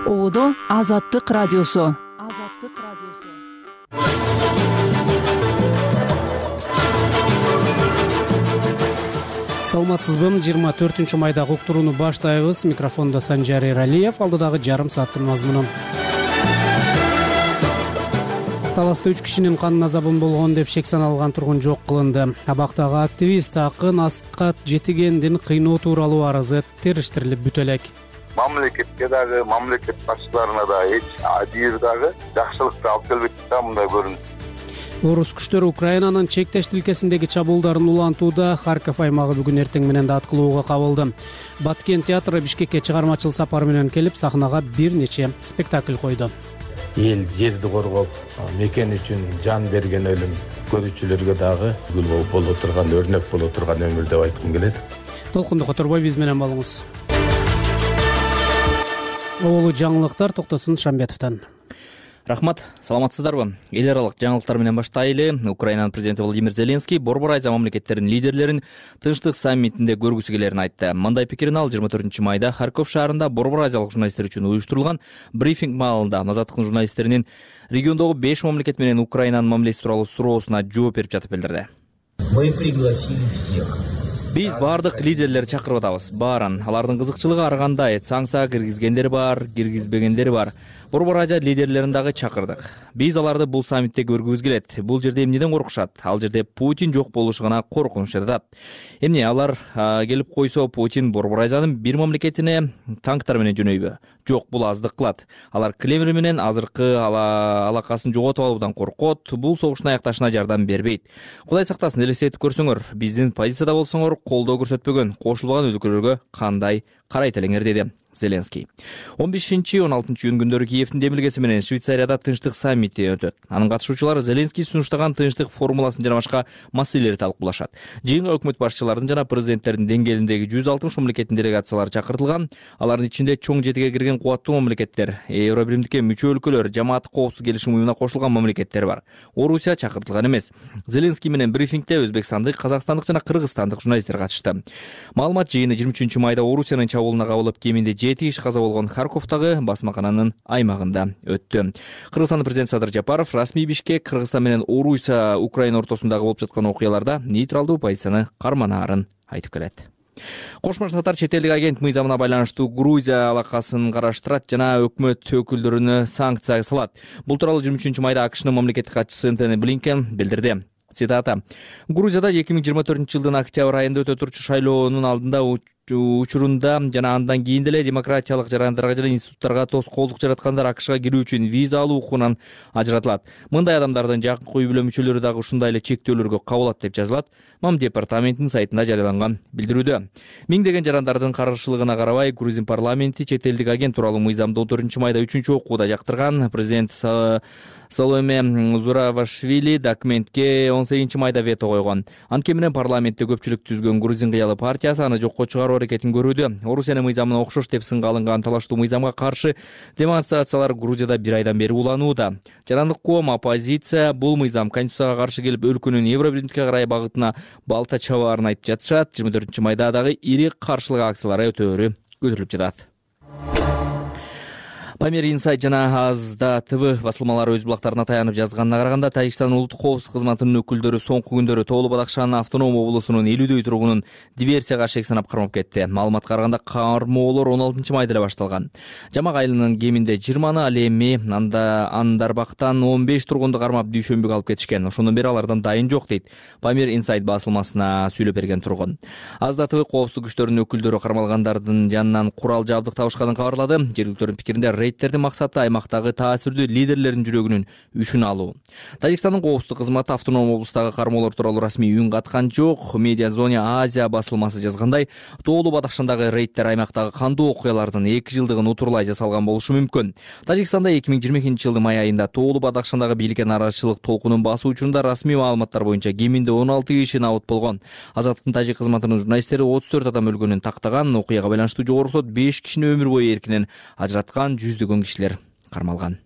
Оодо Азаттык радиосу. Саламатсызбы? 24 майдагы уктурууну баштайбыз. Микрофондо Санжар Эралиев. Алдыдагы жарым сааттын мазмуну. Таласта 3 кишинин канына забын болгон деп шек саналган тургун жок кылынды. Абактагы активист Акын Аскат Жетигендин кыйноо тууралуу арызы териштирилип бүтө элек. Мамлекетке дагы, мамлекет башчыларына да эч адир дагы жакшылыкты алып келбейт да мындай көрүнүш. Орус күчтөрү Украинанын чектеш тилкесиндеги чабуулдарын улантууда. Харьков аймагы бүгүн эртең менен да аткылууга кабылды. Баткен театры Бишкекке чыгармачыл сапар менен келип, сахнага бир нече спектакль койду. Эл жерди коргоп, мекен үчүн жан берген өлүм көрүүчүлөргө дагы үлгү боло турган, өрнөк боло турган өмүр деп айткым келет. Толкунду которбой биз менен болуңуз. Оолу жаңылыктар Токтосун Шамбетовдон. Рахмат, саламатсыздарбы? Эл аралык жаңылыктар менен баштайлы. Украинанын президенти Владимир Зеленский Борбор Азия мамлекеттеринин лидерлерин Тынчтык саммитинде көргүсү келерин айтты. Мындай пикирин ал 24 майда Харьков шаарында Борбор Азиялык журналисттер үчүн уюштурулган брифинг маалында Азаттыктын журналисттеринин региондогу 5 мамлекет менен Украинанын мамилеси тууралуу суроосуна жооп берип жатып билдирди. Мы пригласили всех. Биз баардык лидерлерди чакырып атабыз. Баарын алардын кызыкчылыгы ар кандай, санкция киргизгендер бар, киргизбегендер бар. Борбор Азия лидерлерин дагы чакырдык. Биз аларды бул саммитте көргүбүз келет. Бул жерде эмнеден коркушат? Ал жерде Путин жок болушу гана коркунуч жатат. Эмне алар келип койсо, Путин Борбор Азиянын бир мамлекетине танктар менен жөнөйбү? Жок, бул аздык кылат. Алар Кремль менен азыркы алакасын жоготуп алуудан коркот. Бул согуштун аякташына жардам бербейт. Кудай сактасын, элестетип көрсөңөр, биздин позицияда болсоңор колдоо көрсөтпөгөн, кошулбаган өлкөлөргө кандай карайт элеңер, деди Зеленский. 15-16 июнь күндөрү Киевдин демилгеси менен Швейцарияда тынчтык саммити өтөт. Анын катышуучулары Зеленский сунуштаган тынчтык формуласын жана башка маселелерди талкуулашат. Жыйынга өкмөт башчыларынын жана президенттердин деңгээлиндеги 160 мамлекеттин делегациялары чакыртылган. Алардын ичинде чоң жетиге кирген кубаттуу мамлекеттер, Евробиримдикке мүчө өлкөлөр, Жамааттык коопсуздук келишим уюмуна кошулган мамлекеттер бар. Орусия чакыртылган эмес. Зеленский менен брифингде өзбекстандык, казакстандык жана кыргызстандык журналисттер катышты. Маалымат жыйыны 23 майда Орусиянын чабуулуна кабылып, кеминде 7 киши каза болгон Харьковдагы басмакананын аймагында өттү. Кыргызстандын президенти Садыр Жапаров расмий Бишкек, Кыргызстан менен Орусия, Украина ортосундагы болуп жаткан окуяларда нейтралдуу позицияны карманаарын айтып келет. Кошмо Штаттар чет элдик агент мыйзамына байланыштуу Грузия алакасын караштырат жана өкмөт өкүлдөрүнө санкция салат. Бул тууралуу 23 майда АКШнын мамлекеттик катчысы Энтони Блинкен билдирди. Цитата: Грузияда 2024 жылдын октябрь айында өтө турчу шайлоонун алдында учурунда жана андан кийин деле демократиялык жарандарга жана институттарга тоскоолдук жараткандар АКШга кирүү үчүн виза алуу укугунан ажыратылат. Мындай адамдардын жакынкы үй бүлө мүчөлөрү дагы ушундай эле чектөөлөргө кабылат деп жазылат МАМ департаментинин сайтында жарыяланган билдирүүдө. Миңдеген жарандардын каршылыгына карабай, Грузин парламенти чет элдик агент тууралуу мыйзамды 14 майда 3 окууда жактырган. Президент Саломе Зуравашвили документке 18 майда вето койгон. Анткени менен парламентте көпчүлүк түзгөн Грузин кыялы партиясы аны жокко чыгаруу аракетин көрүүдө. Орусиянын мыйзамына окшош деп сынга алынган талаштуу мыйзамга каршы демонстрациялар Грузияда бир айдан бери уланууда. Жарандык коом, оппозиция бул мыйзам конституцияга каршы келип, өлкөнүн Евробиримдикке карай багытына балта чабаарын айтып жатышат. 24 майда дагы ири каршылык акциялары өтөөрү көтөрүлүп жатат. Памир Инсайт жана Азда ТВ басылмалары өз булактарына таянып жазганына караганда, Тажикстандын улуттук коопсуздук кызматынын өкүлдөрү соңку күндөрү Тоолу Бадакшанын автоном облусунун 50дөй тургунун диверсияга шек санап кармап кетти. Маалыматка караганда, кармоолор 16 майда эле башталган. Жамак айылынын кеминде 20-ны, ал эми Андарбактан 15 тургунду кармап дүйшөмбүгө алып кетишкен. Ошондон бери алардан дайын жок, дейт Памир Инсайт басылмасына сүйлөп берген тургун. Азда ТВ коопсуздук күчтөрүнүн өкүлдөрү кармалгандардын жанынан курал жабдык табышканын кабарлады. Жергиликтөрдүн пикиринде, рейдтердин максаты аймактагы таасирдүү лидерлердин жүрөгүнүн үшүн алуу. Тажикстандын коопсуздук кызматы автоном облустагы кармоолор тууралуу расмий үн каткан жок. Медиазоне Азия басылмасы жазгандай, Тоолу Бадакшандагы рейдтер аймактагы кандуу окуялардын 2 жылдыгын утурлай жасалган болушу мүмкүн. Тажикстанда 2022 жылдын май айында Тоолу Бадакшандагы бийликке нараачылык толкунун басуу учурунда расмий маалыматтар боюнча кеминде 16 киши набыт болгон. Азаттыктын тажик кызматынын журналисттери 34 адам өлгөнүн тактаган. Окуяга байланыштуу жогорку сот 5 кишини өмүр бою эркинен ажыраткан, жүздөгөн кишилер кармалган.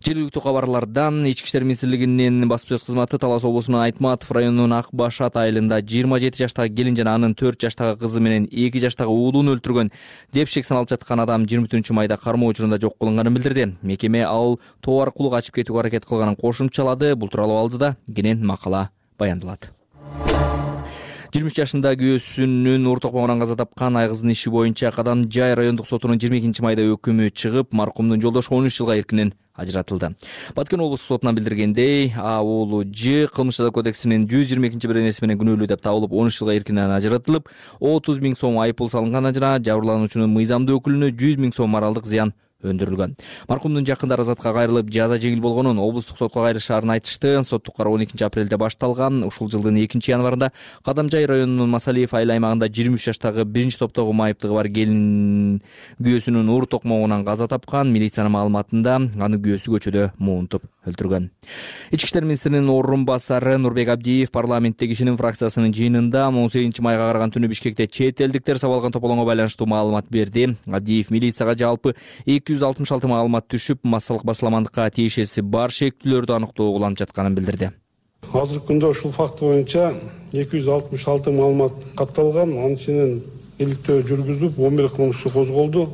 Жергиликтүү кабарлардан Ички иштер министрлигинин баспасөз кызматы Талас облусунун Айтматов районунун Ак Башат айылында 27 жаштагы келин жана анын 4 жаштагы кызы менен 2 жаштагы уулун өлтүргөн деп шек саналып жаткан адам 24 майда кармоо учурунда жок кылынганын билдирди. Мекеме ал тоо аркылуу качып кетүүгө аракет кылганын кошумчалады. Бул тууралуу алдыда кенен макала баяндалат. 23 жашында күйөөсүнүн уур токмогунан каза тапкан айгыздын иши боюнча Кадамжай райондук сотунун 22 майда өкүмү чыгып, маркумдун жолдошу 13 жылга эркинен ажыратылды. Баткен облустук сотунан билдиргендей, уулу Ж кылмыш жаза кодексинин 122-беренеси менен күнөөлүү деп табылып, 13 жылга эркинен ажыратылып, 30 000 сом айыппул салынган жана жабырлануучунун мыйзамдуу өкүлүнө 100 000 сом моралдык зыян өндүрүлгөн. Маркумдун жакындары азатка кайрылып, жаза жеңил болгонун облустук сотко кайрышаарын айтышты. Соттук кароо 12 апрелде башталган. Ушул жылдын 2 январында Кадамжай районунун Масалиев айыл аймагында 23 жаштагы 1-топтогу майыптыгы бар келин күйөөсүнүн уур токмогунан каза тапкан. Милициянын маалыматында аны күйөөсү көчөдө муунтуп өлтүргөн. Ички иштер министринин орун басары Нурбек Абдиев парламенттеги ишинин фракциясынын жыйынында 18 майга караган түнү Бишкекте чет элдиктер сабалган тополоңго байланыштуу маалымат берди. Абдиев милицияга жалпы 266 маалымат түшүп, массалык басыламандыкка тиешеси бар шектүүлөрдү аныктоо уланып жатканын билдирди. Азыркы күндө ушул факт боюнча 266 маалымат катталган. Анын ичинен иликтөө жүргүзүлүп, 11 кылмыш козголду.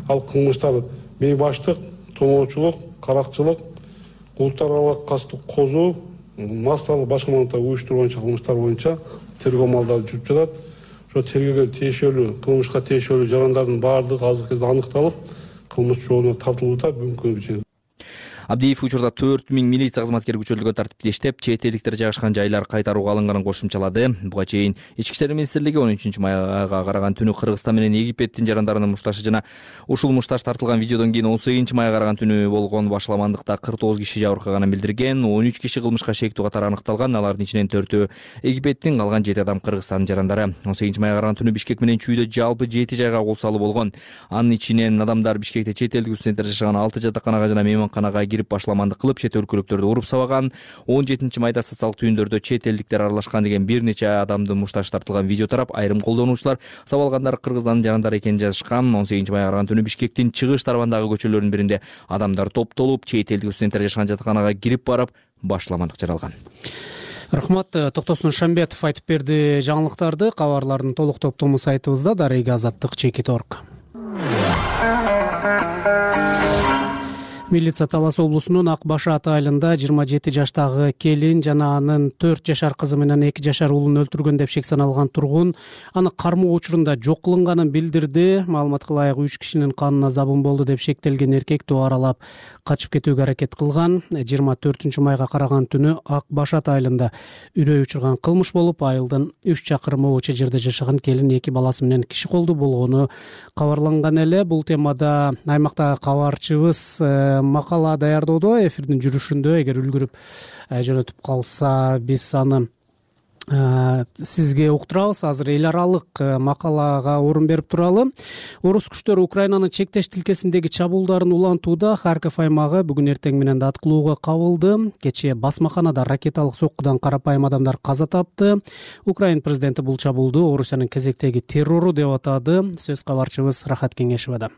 Ал кылмыштар бейбаштык, томоочулук, каракчылык, улуттар аралык кастык козуу, массалык башка маалыматтар уюштурган кылмыштар боюнча тергөө амалдары жүрүп жатат. Ошо тергөөгө тиешелүү, кылмышка тиешелүү жарандардын баардыгы азыркы кезде аныкталып, кылмыш жообуна тартылууда мүмкүн. Абдиев учурда 4000 милиция кызматкери күчөлтүлгөн тартипте иштеп, чет элдиктер жайгашкан жайлар кайтарууга алынганын кошумчалады. Буга чейин Ички иштер министрлиги 13 майга караган түнү Кыргызстан менен Египеттин жарандарынын мушташы жана ушул мушташ тартылган видеодон кийин 18 майга караган түнү болгон башаламандыкта 49 киши жабыркаганын билдирген. 13 киши кылмышка шектүү катары аныкталган. Алардын ичинен 4-өө Египеттин, калган 7 адам Кыргызстандын жарандары. 18 майга караган түнү Бишкек менен Чүйдө жалпы 7 жайга кол салуу болгон. Анын ичинен адамдар Бишкекте чет элдик студенттер жашаган 6 жатаканага жана мейманканага кирип башаламандык кылып, чет өлкөлүктөрдү уруп сабаган. 17 майда социалдык түйүндөрдө чет элдиктер аралашкан деген бир нече адамдын мушташы тартылган видео тарап, айрым колдонуучулар сабалгандар Кыргызстандын жарандары экенин жазышкан. 18 майга караган түнү Бишкектин чыгыш тарабындагы көчөлөрдүн биринде адамдар топтолуп, чет элдик студенттер жашаган жатаканага кирип барып, башаламандык жаралган. Рахмат, Токтосун Шамбетов айтып берди жаңылыктарды. Кабарлардын толук топтому сайтыбызда дареги azаттык.org. Милиция Талас облусунун Ак Башат айылында 27 жаштагы келин жана анын 4 жашар кызы менен 2 жашар уулун өлтүргөн деп шек саналган тургун аны кармоо учурунда жок кылынганын билдирди. Маалыматка ылайык 3 кишинин канына забын болду деп шектелген эркек тоо аралап качып кетүүгө аракет кылган. 24 майга караган түнү Ак Башат айылында үрөй учурган кылмыш болуп, айылдын 3 чакырым өчө жерде жашаган келин 2 баласы менен киши колду болгону кабарланган эле. Бул темада аймактагы кабарчыбыз макала даярдоодо, эфирдин жүрүшүндө эгер үлгүрүп жөнөтүп калса биз аны сизге уктурабыз. Азыр эл аралык макалага орун берип туралы. Орус күчтөрү Украинанын чектеш тилкесиндеги чабуулдарын улантууда. Харьков аймагы бүгүн эртең менен да аткылоого кабылды. Кечээ басмаканада ракеталык соккудан карапайым адамдар каза тапты. Украин президенти бул чабуулду Орусиянын кезектеги террору деп атады. Сөз кабарчыбыз Рахат Кеңешевада.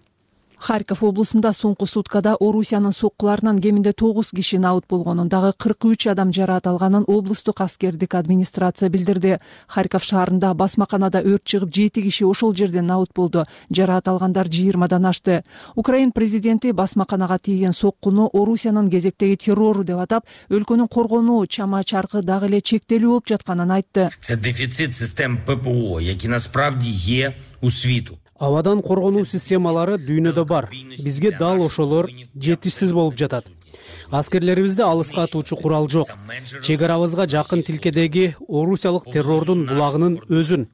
Харьков облусунда соңку суткада Орусиянын соккуларынан кеминде 9 киши набыт болгонун, дагы 43 адам жараат алганын облустук аскердик администрация билдирди. Харьков шаарында басмаканада өрт чыгып, 7 киши ошол жерден набыт болду. Жараат алгандар 20-дан ашты. Украин президенти басмаканага тийген соккуну Орусиянын кезектеги террору деп атап, өлкөнүн коргонуу чама чаркы дагы эле чектелүү болуп жатканын айтты. Це дефицит систем ППО, які насправді є у світу. Абадан коргонуу системалары дүйнөдө бар. Бизге дал ошолор жетишсиз болуп жатат. Аскерлерибизде алыска атуучу курал жок. Чек арабызга жакын тилкедеги орусиялык террордун булагынын өзүн,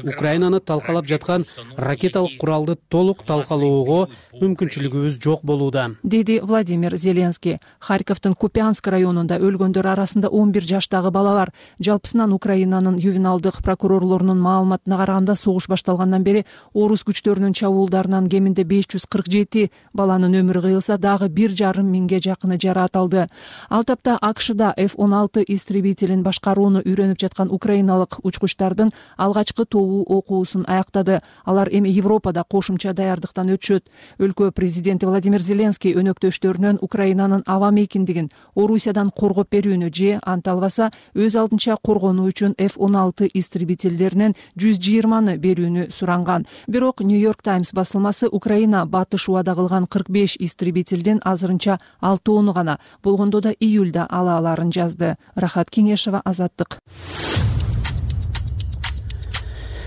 Украинаны талкалап жаткан ракеталык куралды толук талкалоого мүмкүнчүлүгүбүз жок болууда, деди Владимир Зеленский. Харьковдун Купянск районунда өлгөндөр арасында 11 жаштагы бала бар. Жалпысынан Украинанын ювеналдык прокурорлорунун маалыматына караганда, согуш башталгандан бери орус күчтөрүнүн чабуулдарынан кеминде 547 баланын өмүрү кыйылса, дагы 1,5 миңге жакыны жараат алды. Ал тапта АКШда F-16 истребителин башкарууну үйрөнүп жаткан украиналык учкучтардын алгачкы тобу окуусун аяктады. Алар эми Европада кошумча даярдыктан өтүшөт. Өлкө президенти Владимир Зеленский өнөктөштөрүнөн Украинанын аба мейкиндигин Орусиядан коргоп берүүнү же анталбаса өз алдынча коргонуу үчүн F-16 истребительдеринен 120 берүүнү суранган. Бирок Нью-Йорк Таймс басылмасы Украина батыш убада кылган 45 истребительден азырынча 6 гана, болгондо да июлда ала аларын жазды. Рахат Кеңешова, Азаттык.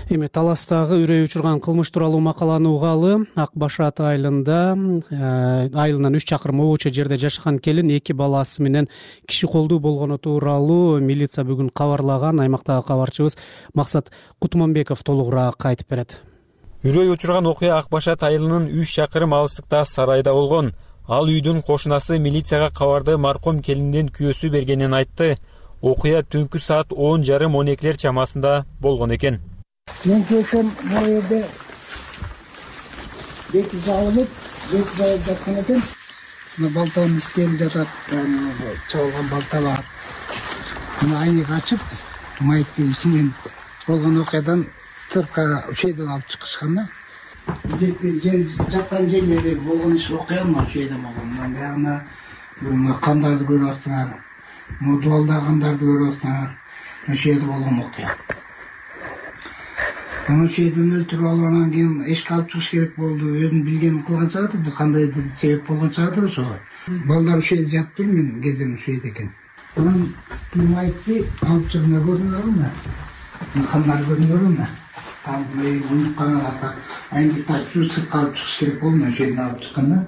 Эми Таластагы үрөй учурган кылмыш тууралуу макаланы угалы. Ак Башат айылынан 3 чакырым обочо жерде жашаган келин 2 баласы менен киши колдуу болгону тууралуу милиция бүгүн кабарлаган. Аймактагы кабарчыбыз Максат Кутманбеков толугураак айтып берет. Үрөй учурган окуя Ак Башат айылынын 3 чакырым алыстыкта сарайда болгон. Ал үйдүн кошунасы милицияга кабарды маркум келиндин күйөөсү бергенин айтты. Окуя түнкү саат 10:30-12 чамасында болгон экен. Мен келсем, bu yerde beki javılıp жаткан экен. Балтанын истери жатат, чабылган балта бар. Мына айнек ачып, майыттын ичинен болгон окуядан сыртка ушейден алып чыгышкан да. Жаткан жерлерде болгон иш окуя мына ушейде болгон. Баягы кандарды көрүп атсыңар, дубалда кандарды көрүп атсыңар, ушейде болгон окуя. Аны şeyden öldürüp alгандан кийин эшикке алып чыгыш керек болду. Өзүн билгенин кылган чагыды, бир кандайдыр себеп болгон чагыды ошого. Балдар ушейде жатып, мен кезден ушейде экен. Анан майытты алып чыгына көрдүңөрбү? Кандар көрдүңөрбү? Там унуккан ата айнек тартып сыртка алып чыгыш керек болду, ошейден алып чыкканда.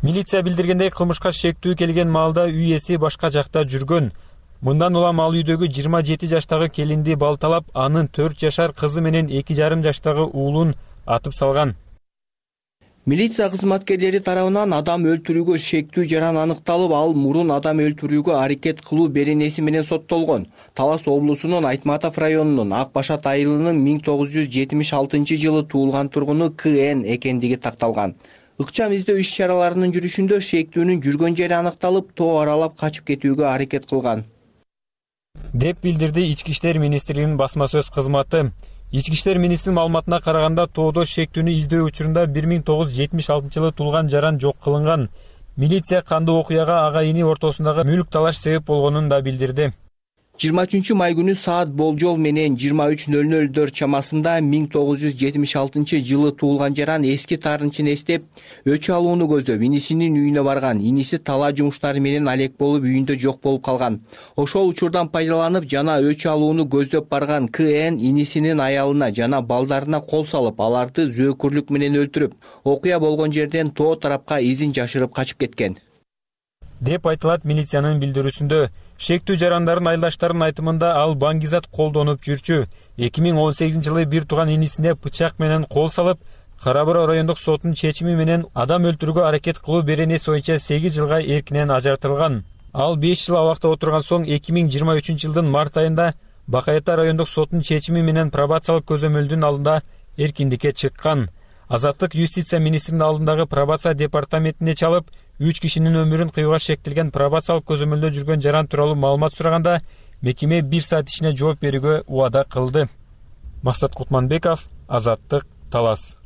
Милиция билдиргендей кылмышка шектүү келген маалда үй ээси башка жакта жүргөн. Мындан улам ал үйдөгү 27 жаштагы келинди балталап, анын 4 жашар кызы менен 2,5 жаштагы уулун атып салган. Милиция кызматкерлери тарабынан адам өлтүрүүгө шектүү жаран аныкталып, ал мурун адам өлтүрүүгө аракет кылуу беренеси менен соттолгон. Талас облусунун Айтматов районунун Ак Башат айылынын 1976-жылы туулган тургуну КН экендиги такталган. Ыкчам издөө иш-чараларынын жүрүшүндө шектүүнүн жүргөн жери аныкталып, тоо аралап качып кетүүгө аракет кылган деп билдирди Ички иштер министрлигинин басма сөз кызматы. Ички иштер министринин маалыматына караганда, тоодо шектүүнү издөө учурунда 1976-жылы туулган жаран жок кылынган. Милиция кандуу окуяга ага ини ортосундагы мүлк талаш себеп болгонун да билдирди. 23 май күнү саат болжол менен 23:00 чамасында 1976-жылы туулган жаран эски таарынчын эстеп, өчү алууну көздөп, инисинин үйүнө барган. Иниси талаа жумуштары менен алек болуп, үйүндө жок болуп калган. Ошол учурдан пайдаланып, жана өчү алууну көздөп барган КН инисинин аялына жана балдарына кол салып, аларды зөөкүрлүк менен өлтүрүп, окуя болгон жерден тоо тарапка изин жашырып качып кеткен деп айтылат милициянын билдирүүсүндө. Шектүү жарандардын айылдаштарынын айтымында, ал баңгизат колдонуп жүрчү. 2018-жылы бир тууган инисине бычак менен кол салып, Кара Бура райондук сотунун чечими менен адам өлтүрүүгө аракет кылуу беренеси боюнча 8 жылга эркинен ажыртылган. Ал 5 жыл абакта отурган соң 2023-жылдын март айында Бакай Ата райондук сотунун чечими менен пробациялык көзөмөлдүн алдында эркиндикке чыккан. Азаттык юстиция министринин алдындагы пробация департаментине чалып, 3 кишинин өмүрүн кыюуга шектелген пробациялык көзөмөлдө жүргөн жаран тууралуу маалымат сураганда, мекеме 1 саат ичинде жооп берүүгө убада кылды. Максат Кутманбеков, Азаттык, Талас.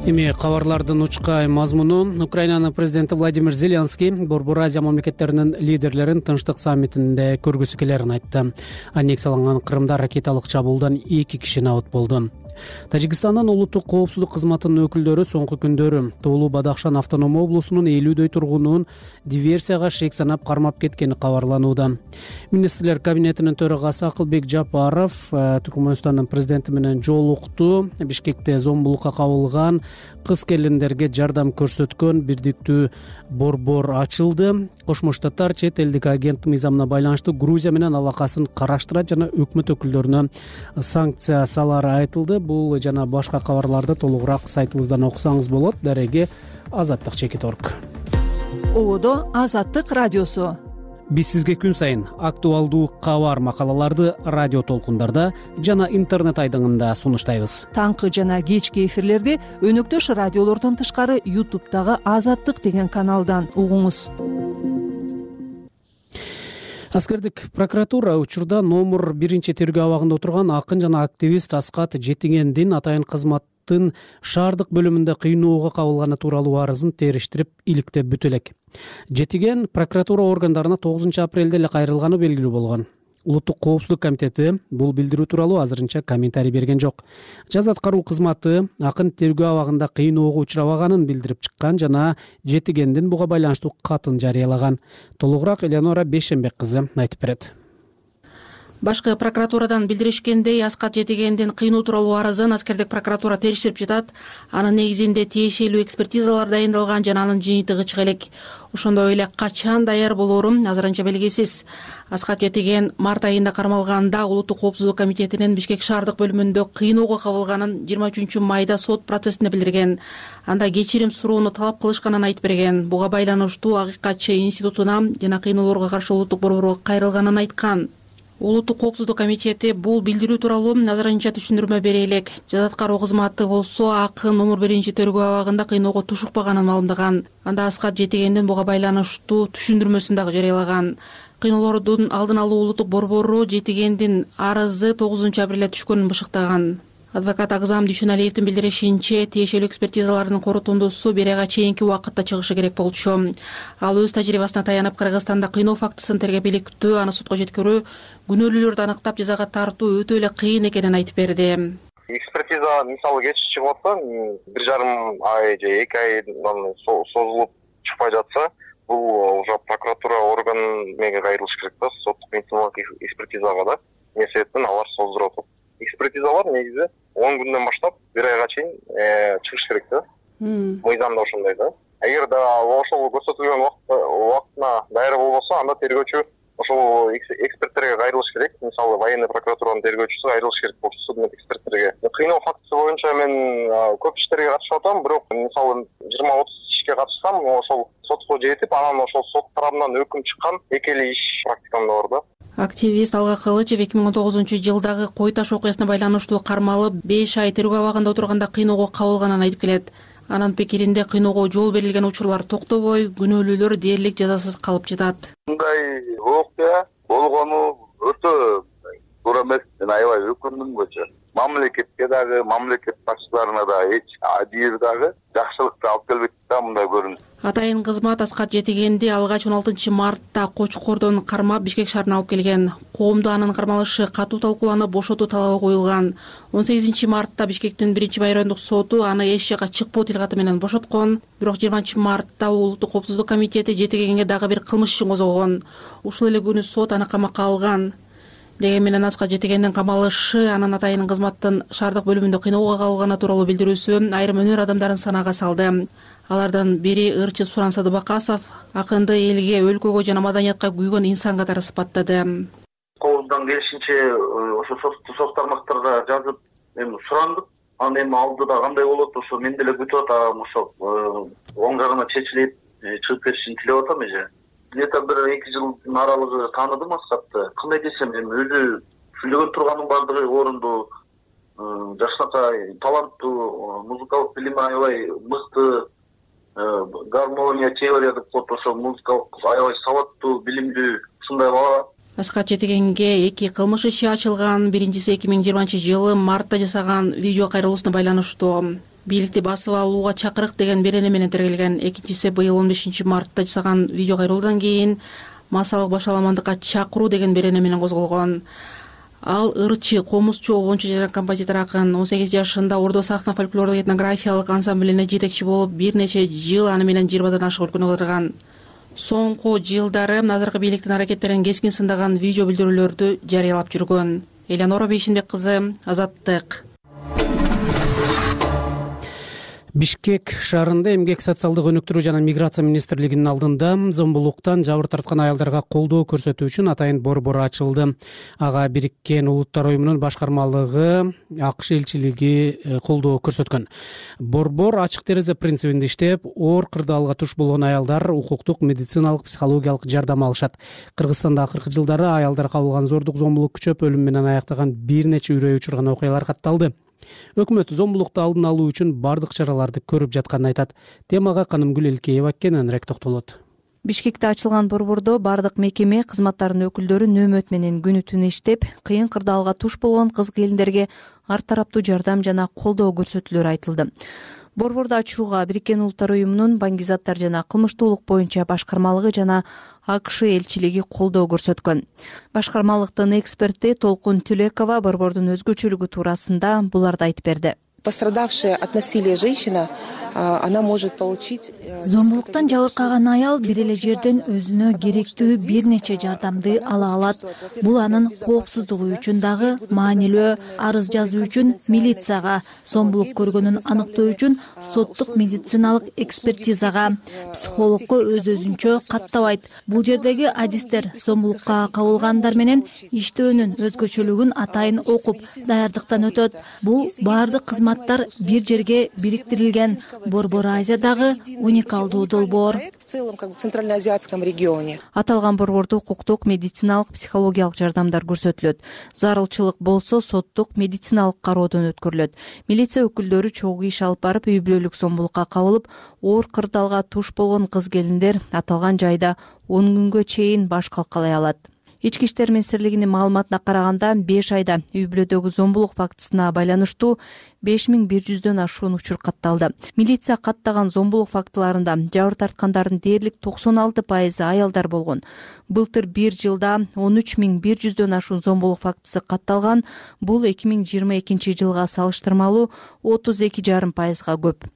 Эми кабарлардын учкай мазмуну. Украинанын президенти Владимир Зеленский Борбор Азия мамлекеттеринин лидерлерин Тынчтык саммитинде көргүсү келерин айтты. Аннексияланган Крымда ракеталык чабуулдан 2 киши набыт болду. Тажикстандын улуттук коопсуздук кызматынын өкүлдөрү соңку күндөрү Тоолуу Бадахшан автоном облусунун 50дөй тургунун диверсияга шек санап кармап кеткени кабарланууда. Министрлер кабинетинин төрагасы Акылбек Жапаров Түркмөнстандын президенти менен жолукту. Бишкекте зомбулукка кабылган кыз келиндерге жардам көрсөткөн бирдиктүү борбор ачылды. Кошмо Штаттар чет элдик агент мыйзамына байланыштуу Грузия менен алакасын караштырат жана өкмөт өкүлдөрүнө санкция салары айтылды. Бул жана башка кабарларды толугураак сайтыбыздан окусаңыз болот. Дареги Азаттык Чекиторг. Ободо Азаттык радиосу. Биз сизге күн сайын актуалдуу кабар макалаларды радио толкундарда жана интернет айдыңында сунуштайбыз. Таңкы жана кечки эфирлерди өнөктөш радиолордон тышкары YouTube'дагы Азаттык деген каналдан угуңуз. Аскердик прокуратура учурда номер 1-тергөө абагында отурган акын жана активист Аскат Жетигендин атайын кызматтын шаардык бөлүмүндө кыйноого кабылганы тууралуу арызын териштирип иликтеп бүтө элек. Жетиген прокуратура органдарына 9 апрелде эле кайрылганы белгилүү болгон. Улуттук коопсуздук комитети бул билдирүү тууралуу азырынча комментарий берген жок. Жаз аткаруу кызматы акын тергөө абагында кыйноого учурабаганын билдирип чыккан жана Жетигендин буга байланыштуу катын жарыялаган. Толугураак Элеонора Бейшенбек кызы айтып берет. Башкы прокуратурадан билдиришкендей, Аскат Жетигендин кыйноо тууралуу арызын Аскердик прокуратура териштирип жатат. Анын негизинде тиешелүү экспертизалар дайындалган жана анын жыйынтыгы чыга элек. Ошондой эле качан даяр болоору азырынча белгисиз. Аскат Жетиген март айында кармалганда Улуттук коопсуздук комитетинин Бишкек шаардык бөлүмүндө кыйноого кабылганын 23-майда сот процессинде билдирген. Анда кечирим суроону талап кылышканын айтып берген. Буга байланыштуу Акыйкатчы институтуна жана кыйноолорго каршы улуттук борборго кайрылганын айткан. Улуттук коопсуздук комитети бул билдирүү тууралуу азырынча түшүндүрмө бере элек. Жаз аткаруу кызматы болсо акын номер 1-тергөө абагында кыйноого тушукпаганын маалымдаган. Анда Аскат Жетигендин буга байланыштуу түшүндүрмөсүн дагы жарыялаган. Кыйноолордун алдын алуу улуттук борбору Жетигендин арызы 9 апрелде түшкөнүн бышыктаган. Адвокат Агзам Дүйшөналиевдин билдиришинче, тиешелүү экспертизалардын корутундусу бир айга чейинки убакытта чыгышы керек болчу. Ал өз тажрыйбасына таянып Кыргызстанда кыйноо фактысын тергеп иликтөө, аны сотко жеткирүү, күнөөлүүлөрдү аныктап жазага тартуу өтө эле кыйын экенин айтып берди. Экспертиза мисалы кеч чыгып атса, 1,5 ай же 2 айдан созулуп чыкпай жатса, бул уже прокуратура орган мега кайрылыш керек да, соттук медициналык экспертизага да. Эмне себептен алар создуруп атат. Экспертизалар негизи 10 күндөн баштап 1 айга чейин чыгыш керек да. Мыйзамда ошондой да. Эгер да ошол көрсөтүлгөн убактына даяр болбосо, анда тергөөчү ошол эксперттерге кайрылыш керек. Мисалы военный прокуратуранын тергөөчүсү кайрылыш керек болчу судмед эксперттерге. Кыйноо фактысы боюнча мен көп иштерге катышып атам, бирок мисалы 20-30 ишке катышсам, ошол сотко жетип, анан ошол сот тарабынан өкүм чыккан 2 эле иш практикамда бар да. Активист Алга Кылычев 2019-жылдагы Кой Таш окуясына байланыштуу кармалып 5 ай тергөө абагында отурганда кыйноого кабылганын айтып келет. Анын пикиринде кыйноого жол берилген учурлар токтобой, күнөөлүүлөр дээрлик жазасыз калып жатат. Мындай окуя болгону өтө туура эмес. Мен аябай өкүндүм көчө. Мамлекетке дагы, мамлекет башчыларына да адир дагы жакшылыкты алып келбейт да мындай көрүнүш. Атайын кызмат Аскат Жетигенди алгач 16-мартта Кочкордон кармап Бишкек шаарына алып келген. Коомдо анын кармалышы катуу талкууланып, бошотуу талабы коюлган. 18-мартта Бишкектин 1-Май райондук соту аны эч жакка чыкпоо тилкаты менен бошоткон. Бирок 20-мартта Улуттук коопсуздук комитети Жетигенге дагы бир кылмыш ишин козгогон. Ушул эле күнү сот аны камакка алган. Деген менен Аскат Жетигендин камалышы, анын атайын кызматтын шаардык бөлүмүндө кыйноого кабылганы тууралуу билдирүүсү айрым өнөр адамдарын санаага салды. Алардын бири ырчы Суран Садыбакасов акынды элге, өлкөгө жана маданиятка күйгөн инсан катары сыпаттады. Колундан келишинче ошо соц тармактарга жазып, эми сурандык. Анан эми алдыда кандай болот, ошо мен деле күтүп атам, ошо оң жагына чечилип чыгып кетишин тилеп атам эже. Где-то 1-2 жылдын аралыгы тааныдым Аскатты. Кандай десем, эми өзү сүйлөгөн турганын баардыгы орунду, жакшынакай таланттуу, музыкалык билими аябай мыкты, гармония, теория деп коет, ошо музыкалык аябай сабаттуу, билимдүү ушундай бала. Аскат Жетигенге 2 кылмыш иши ачылган. Биринчиси 2020-жылы мартта жасаган видео кайрылуусуна байланыштуу. Бийликти басып алууга чакырык деген берене менен тергелген. Экинчиси быйыл 15-мартта жасаган видео кайрылуудан кийин массалык башаламандыкка чакыруу деген берене менен козголгон. Ал ырчы, комузчу, обончу жана композитор акын 18 жашында Ордо сахна фольклордук этнографиялык ансамблине жетекчи болуп, бир нече жыл аны менен 20дан ашык өлкөнү кыдырган. Соңку жылдары азыркы бийликтин аракеттерин кескин сындаган видео билдирүүлөрдү жарыялап жүргөн. Элеонора Бейшенбек кызы, Азаттык. Бишкек шаарында эмгек социалдык өнүктүрүү жана миграция министрлигинин алдында зомбулуктан жабыр тарткан аялдарга колдоо көрсөтүү үчүн атайын борбор ачылды. Ага Бириккен Улуттар уюмунун башкармалыгы, АКШ элчилиги колдоо көрсөткөн. Борбор ачык терезе принцибинде иштеп, оор кырдаалга туш болгон аялдар укуктук, медициналык, психологиялык жардам алышат. Кыргызстанда акыркы жылдары аялдар кабылган зордук, зомбулук күчөп, өлүм менен аяктаган бир нече үрөй учурган окуялар катталды. Өкмөт зомбулукту алдын алуу үчүн бардык чараларды көрүп жатканын айтат. Темага Канымгүл Элкеева кененирээк токтолот. Бишкекте ачылган борбордо бардык мекеме кызматтарынын өкүлдөрү нөөмөт менен күнү түнү иштеп, кыйын кырдаалга туш болгон кыз-келиндерге ар тараптуу жардам жана колдоо көрсөтүлөрү айтылды. Борборду ачууга Бириккен Улуттар уюмунун баңгизаттар жана кылмыштуулук боюнча башкармалыгы жана АКШ элчилиги колдоо көрсөткөн. Башкармалыктын эксперти Толкун Түлекова борбордун өзгөчөлүгү туурасында буларды айтып берди. Пострадавшая от насилия женщина, она может получить... Зомбулуктан жабыркаган аял бир эле жерден өзүнө керектүү бир нече жардамды ала алат. Бул анын коопсуздугу үчүн дагы маанилүү. Арыз жазуу үчүн милицияга, зомбулук көргөнүн аныктоо үчүн соттук медициналык экспертизага, психологко өз-өзүнчө каттабайт. Бул жердеги адистер зомбулукка кабылгандар менен иштөөнүн өзгөчөлүгүн атайын окуп, даярдыктан өтөт. Бул баардык кызматтар бир жерге бириктирилген. Борбор Азиядагы уникалдуу долбоор. В целом, как в Центральноазиатском регионе. Аталган борбордо укуктук, медициналык, психологиялык жардамдар көрсөтүлөт. Зарылчылык болсо соттук, медициналык кароодон өткөрүлөт. Милиция өкүлдөрү чогуу иш алып барып, үй бүлөлүк зомбулукка кабылып, оор кырдаалга туш болгон кыз-келиндер аталган жайда 10 күнгө чейин баш калкалай алат. Ички иштер министрлигинин маалыматына караганда 5 айда үй бүлөдөгү зомбулук фактысына байланыштуу 5100дөн ашуун учур катталды. Милиция каттаган зомбулук фактыларында жабыр тарткандардын дээрлик 96% аялдар болгон. Былтыр бир жылда 13100дөн ашуун зомбулук фактысы катталган. Бул 2022 жылга салыштырмалуу 32,5%га көп.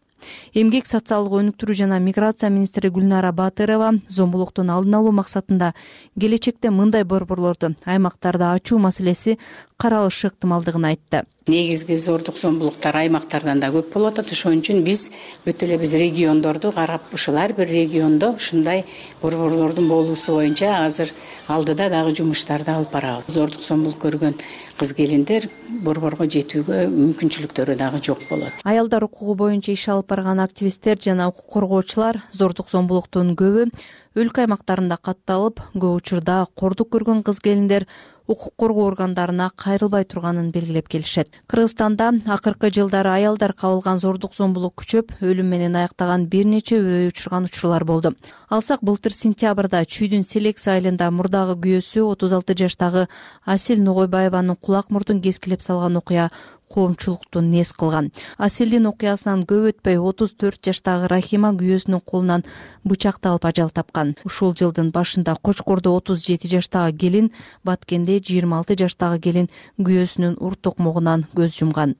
Эмгек, социалдык өнүктүрүү жана миграция министри Гүлнара Батырова зомбулуктун алдын алуу максатында келечекте мындай борборлорду аймактарда ачуу маселеси каралышы ыктымалдыгын айтты. Негизги зордук зомбулуктар аймактардан да көп болуп атат. Ошон үчүн биз өтө эле региондорду карап, ушул ар бир региондо ушундай борборлордун болуусу боюнча азыр алдыда дагы жумуштарды алып барабыз. Зордук зомбулук көргөн кыз-келиндер борборго жетүүгө мүмкүнчүлүктөрү дагы жок болот. Аялдар укугу боюнча иш алып барган активисттер жана укук коргоочулар зордук зомбулуктун көбү өлкө аймактарында катталып, көп учурда кордук көргөн кыз-келиндер укук коргоо органдарына кайрылбай турганын белгилеп келишет. Кыргызстанда акыркы жылдары аялдар кабылган зордук зомбулук күчөп, өлүм менен аяктаган бир нече үрөй учурган учурлар болду. Алсак, былтыр сентябрда Чүйдүн Селекс айылында мурдагы күйөөсү 36 жаштагы Асел Ногойбаеванын кулак мурдун кескилеп салган окуя коомчулукту нес кылган. Аселдин окуясынан көп өтпөй 34 жаштагы Рахима күйөөсүнүн колунан бычакталып ажал тапкан. Ушул жылдын башында Кочкордо 37 жаштагы келин, Баткенде 26 жаштагы келин күйөөсүнүн ур токмогунан көз жумган.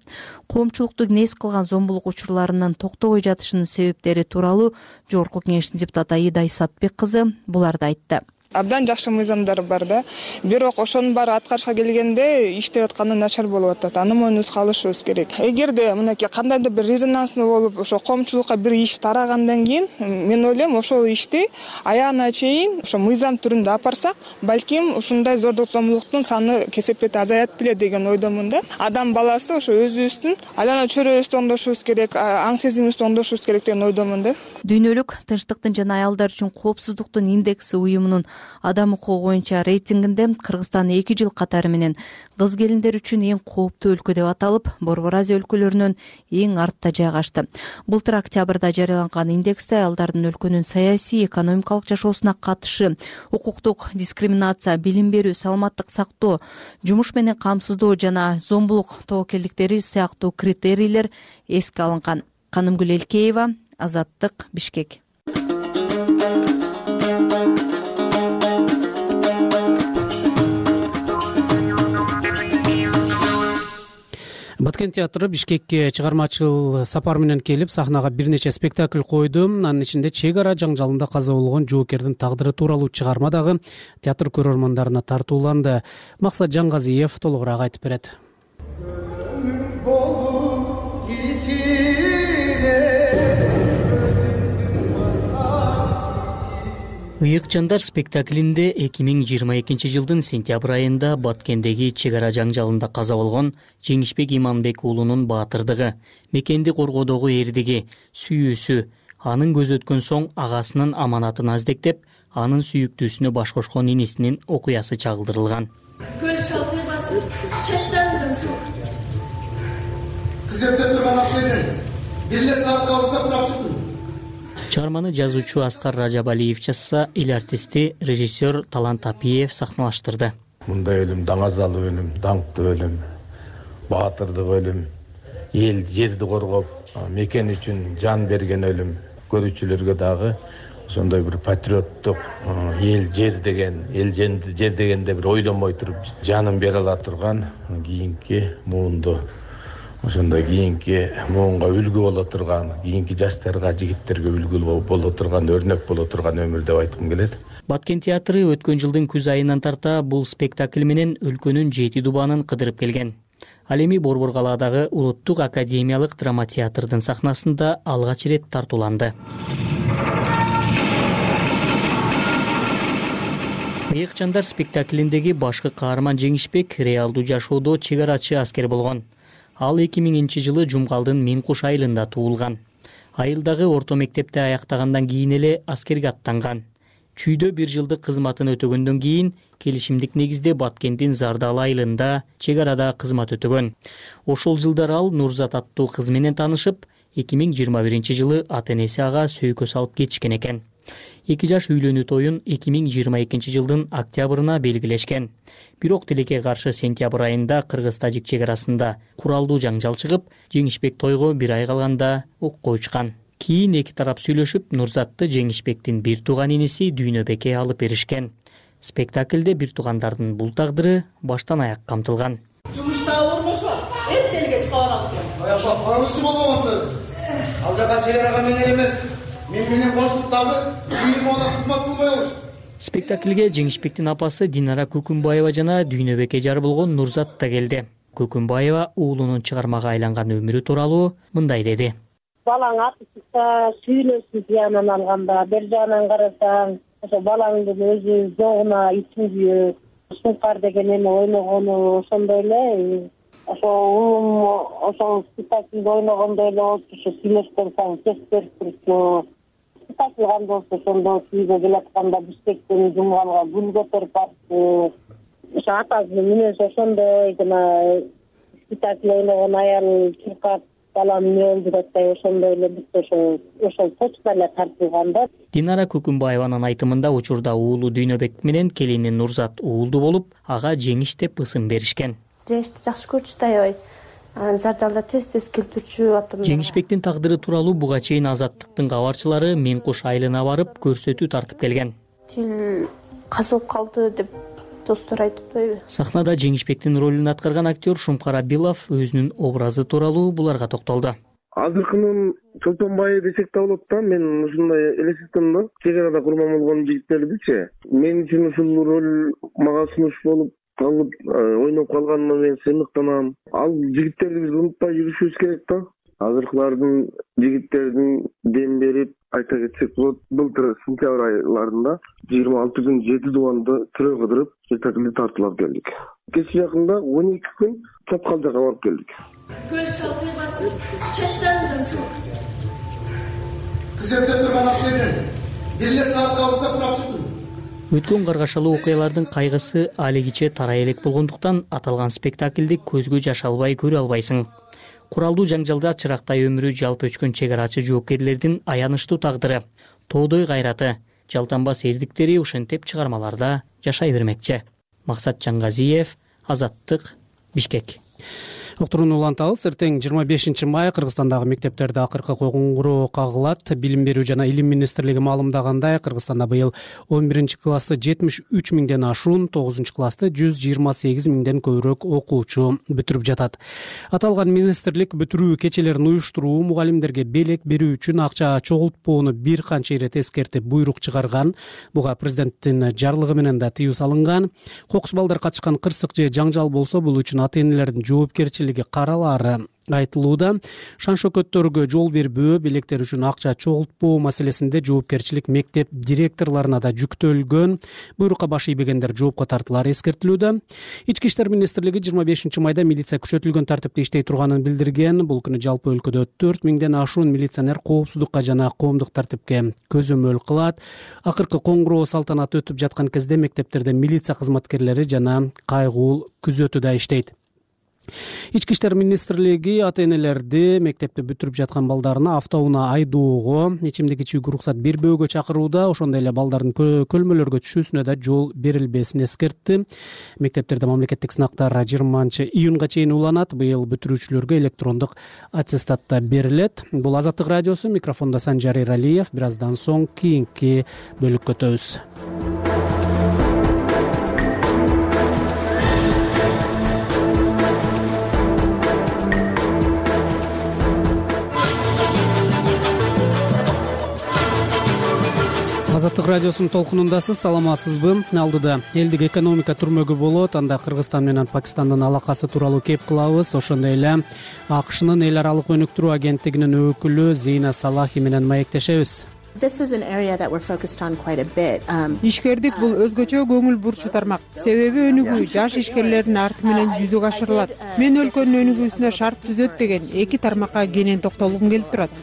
Коомчулукту нес кылган зомбулук учурларынын токтобой жатышынын себептери тууралуу Жогорку Кеңештин депутаты Аида Исатбек кызы буларды айтты. Абдан жакшы мыйзамдар бар да. Бирок ошонун баары аткарышка келгенде иштеп атканы начар болуп атат. Аны мойнубузга алышыбыз керек. Эгерде мынакей кандайдыр бир резонанстуу болуп, ошо коомчулукка бир иш тарагандан кийин, мен ойлойм, ошол ишти аягына чейин ошо мыйзам түрүндө апарсак, балким ушундай зордук зомбулуктун саны кесепети азаят беле деген ойдомун да. Адам баласы ошо өзүбүздүн айлана чөйрөбүздү оңдошубуз керек, аң сезимибизди оңдошубуз керек деген ойдомун да. Дүйнөлүк тынчтыктын жана аялдар үчүн коопсуздуктун индекси уюмунун адам укугу боюнча рейтингинде Кыргызстан 2 жыл катары менен кыз-келиндер үчүн эң кооптуу өлкө деп аталып, Борбор Азия өлкөлөрүнөн эң артта жайгашты. Былтыр октябрда жарыяланган индексте аялдардын өлкөнүн саясий, экономикалык жашоосуна катышы, укуктук дискриминация, билим берүү, саламаттык сактоо, жумуш менен камсыздоо жана зомбулук тобокелдиктери сыяктуу критерийлер эске алынган. Канымгүл Элкеева, Азаттык, Бишкек. Баткен театры Бишкекке чыгармачыл сапар менен келип, сахнага бир нече спектакль койду. Анын ичинде чек ара жаңжалында каза болгон жоокердин тагдыры тууралуу чыгарма дагы театр көрөрмандарына тартууланды. Максат Жаңгазиев толугураак айтып берет. Ыйык жандар спектаклинде 2022 жылдын сентябрь айында Баткендеги чек ара жаңжалында каза болгон Жеңишбек Иманбек уулунун баатырдыгы, мекенди коргоодогу эрдиги, сүйүүсү, анын көз өткөн соң агасынын аманатын аздектеп, анын сүйүктүүсүнө баш кошкон инисинин окуясы чагылдырылган. Көл шалкый басып, чачтандын суу. Кыз эмне турган акчаны бир эле саатка уруксат сурап чыктым. Чыгарманы жазуучу Аскар Ражабалиев жазса, эл артисти режиссер Талант Апиев сахналаштырды. Мындай өлүм даңазалуу өлүм, даңктуу өлүм, баатырдык өлүм, эл жерди коргоп, мекен үчүн жан берген өлүм. Көрүүчүлөргө дагы ошондой бир патриоттук, эл жер дегенде бир ойлонбой туруп жанын бере ала турган кийинки муунду, ошондой кийинки муунга үлгү боло турган, кийинки жаштарга, жигиттерге үлгү боло турган, өрнөк боло турган өмүр деп айткым келет. Баткен театры өткөн жылдын күз айынан тарта бул спектакль менен өлкөнүн 7 дубанын кыдырып келген. Ал эми Борбор калаадагы Улуттук академиялык драма театрдын сахнасында алгач ирет тартууланды. Ыйык-чандар спектаклиндеги башкы каарман Жеңишбек реалдуу жашоодо чек-арачы аскер болгон. Ал 2000-жылы Жумгалдын Миңкуш айылында туулган. Айылдагы орто мектепти аяктагандан кийин эле аскерге аттанган. Чүйдө 1 жылдык кызматын өтөгөндөн кийин келишимдик негизде Баткендин Зардал айылында чек арада кызмат өтөгөн. Ошол жылдары ал Нурзат аттуу кыз менен таанышып, 2021-жылы ата-энеси ага сөйкө салып кетишкен экен. 2 жаш үйлөнүү тоюн 2022-жылдын октябрына белгилешкен. Бирок тилекке каршы сентябрь айында Кыргыз-Тажик чек арасында куралдуу жаңжал чыгып, Жеңишбек тойго 1 ай калганда окко учкан. Кийин эки тарап сүйлөшүп, Нурзатты Жеңишбектин бир тууган иниси Дүйнөбекке алып беришкен. Спектаклде бир туугандардын бул тагдыры баштан аяк камтылган. Жумушта болмошо, эртелге чыга барат экен. Аяпа, коңушу болбосо. Ал жака чек арага менен эмес, мен менен кошулуп дагы 20 бала кызмат кылмайбыз. Спектаклге Жеңишбектин апасы Динара Көкүнбаева жана Дүйнөбекке жар болгон Нурзат да келди. Көкүнбаева уулунун чыгармага айланган өмүрү тууралуу мындай деди. Балаң аты чыкса, сүйлөсүн тиянан алганда, бир жагынан карасаң, ошо балаңдын өзү жогуна ичиң күйөт. Сумкар деген эме ойногону ошондой эле. Ошол спектакльде ойногондой эле болчу, ошо сүйлөшкөн сайын кес берип турчу. Спектакль кандай болсо ошондо күйгө келатканда Бишкектен Жумгалга гүл көтөрүп барчу. Ошо атасынын мүнөзү ошондой жана спектакль ойногон аял чуркап балам эмне болду деп атпайбы, ошондой эле бүт ошол точка эле тартылган да. Динара Көкүнбаеванын айтымында учурда уулу Дүйнөбек менен келини Нурзат уулду болуп, ага Жеңиш деп ысым беришкен. Жеңишти жакшы көрчү да аябай. Зардалда тез келтирчү атым. Жеңишбектин тагдыры тууралуу буга чейин Азаттыктын кабарчылары Миңкуш айылына барып көрсөтүү тартып келген. Тил казып калды деп достор айтыптайбы. Сахнада Жеңишбектин ролун аткарган актер Шумкар Абилов өзүнүн образы тууралуу буларга токтолду. Азыркынын Чолпонбай десек да болот да, мен ушундай элестеттим да. Чек арада курман болгон жигиттердичи. Мен үчүн ушул роль мага сунуш болуп калып ойноп калганына мен сыймыктанам. Ал жигиттерди биз унутпай жүрүшүбүз керек да. Азыркылардын жигиттердин дем берип айта кетсек болот, былтыр сентябрь айларында 26 күн 7 дубанды тирөө кыдырып спектакльди тартуулап келдик. Кечээ жакында 12 күн Чапкалжага барып келдик. Көл шалкый басып, чачтандын суу. Кыз жерде турган акчаны деле саатка урса сурап чыктым. Өткөн каргашалуу окуялардын кайгысы алигиче тарай элек болгондуктан аталган спектакльди көзгө жаш албай көрө албайсың. Куралдуу жаңжалда чырактай өмүрү жалп өчкөн чек арачы жоокерлердин аянычтуу тагдыры, тоодой кайраты, жалтанбас эрдиктери ушинтип чыгармаларда жашай бермекчи. Максат Жангазиев, Азаттык, Бишкек. Уктурууну улантабыз. Эртең 25 май Кыргызстандагы мектептерде акыркы коңгуроо кагылат. Билим берүү жана илим министрлиги маалымдагандай, Кыргызстанда быйыл 11-классты 73 миңден ашуун, 9-классты 128 миңден көбүрөөк окуучу бүтүрүп жатат. Аталган министрлик бүтүрүү кечелерин уюштуруу, мугалимдерге белек берүү үчүн акча чогултпоону бир канча ирет эскертип буйрук чыгарган. Буга президенттин жарлыгы менен да тыюу салынган. Кокус балдар катышкан кырсык же жаңжал болсо, бул үчүн ата-энелердин жоопкерчилиги каралаары айтылууда. Шан-шөкөттөргө жол бербөө, белектер үчүн акча чогултпоо маселесинде жоопкерчилик мектеп директорлоруна да жүктөлгөн. Буйрукка баш ийбегендер жоопко тартылары эскертилүүдө. Ички иштер министрлиги 25 майда милиция күчөтүлгөн тартипте иштей турганын билдирген. Бул күнү жалпы өлкөдө 4 миңден ашуун милиционер коопсуздукка жана коомдук тартипке көзөмөл кылат. Акыркы коңгуроо салтанаты өтүп жаткан кезде мектептерде милиция кызматкерлери жана кайгуул күзөтүүдө иштейт. Ички иштер министрлиги ата энелерди мектепти бүтүрүп жаткан балдарына автоунаа айдоого ичимдик ичүүгө уруксат бербөөгө чакырууда, ошондой эле балдардын көлмөлөргө түшүүсүнө да жол берилбесин эскертти. Мектептерде мамлекеттик сынактар 20-июнга чейин уланат. Быйыл бүтүрүүчүлөргө электрондук аттестат да берилет. Бул Азаттык радиосу, микрофондо Санжар Эралиев. Бир аздан соң кийинки бөлүккө өтөбүз. Азаттык радиосунун толкунундасыз, саламатсызбы? Алдыда элдик экономика түрмөгү болот. Анда Кыргызстан менен Пакистандын алакасы тууралуу кеп кылабыз. Ошондой эле АКШнын эл аралык өнүктүрүү агенттигинин өкүлү Зейна Салахи менен маектешебиз. Ишкердик бул өзгөчө көңүл бурчу тармак. Себеби өнүгүү жаш ишкерлердин арты менен жүзөгө ашырылат. Мен өлкөнүн өнүгүүсүнө шарт түзөт деген эки тармакка кенен токтолгум келип турат.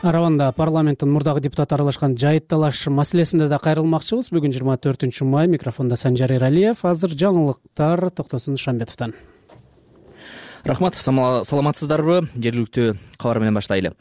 Араванда парламенттин мурдагы депутаты аралашкан жайыт талаш маселесинде да кайрылмакчыбыз. Бүгүн 24 май. Микрофондо Санжар Эралиев. Азыр жаңылыктар Токтосун Шамбетовдон. Рахмат, саламатсыздарбы? Жергиликтүү кабар менен баштайлы.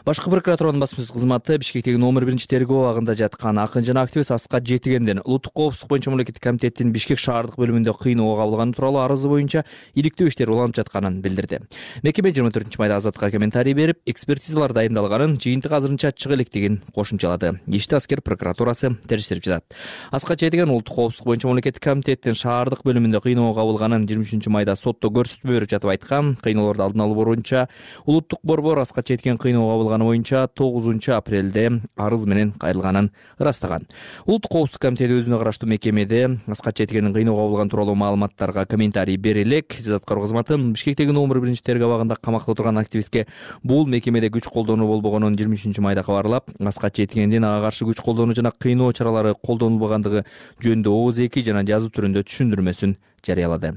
Башкы прокуратуранын басма сөз кызматы Бишкектеги номер 1-тергөө абагында жаткан акын жана активист Аскат Жетигендин улуттук коопсуздук боюнча мамлекеттик комитеттин Бишкек шаардык бөлүмүндө кыйноого кабылганы тууралуу арызы боюнча иликтөө иштери уланып жатканын билдирди. Мекеме 24 майда Азаттыкка комментарий берип, экспертизалар дайындалганын, жыйынтык азырынча чыга электигин кошумчалады. Ишти Аскер прокуратурасы териштирип жатат. Аскат Жетиген улуттук коопсуздук боюнча мамлекеттик комитеттин шаардык бөлүмүндө кыйноого кабылганын 23 майда сотто көрсөтмө берип жатып айткан. Кыйноолорду алдын алуу боюнча улуттук борбор Аскат Жетиген кыйноого кабылганы боюнча 9 апрелде арыз менен кайрылганын ырастаган. Улуттук коопсуздук комитети өзүнө караштуу мекемеде Аскат Жетигендин кыйноого кабылган тууралуу маалыматтарга комментарий бере элек. Жазаткар кызматы Бишкектеги номер 1-тергөө абагында камакта турган активистке бул мекемеде күч колдонуу болбогонун 23 майда кабарлап, Аскат Жетигендин ага каршы күч колдонуу жана кыйноо чаралары колдонулбагандыгы жөнүндө ооз эки жана жазуу түрүндө түшүндүрмөсүн жарыялады.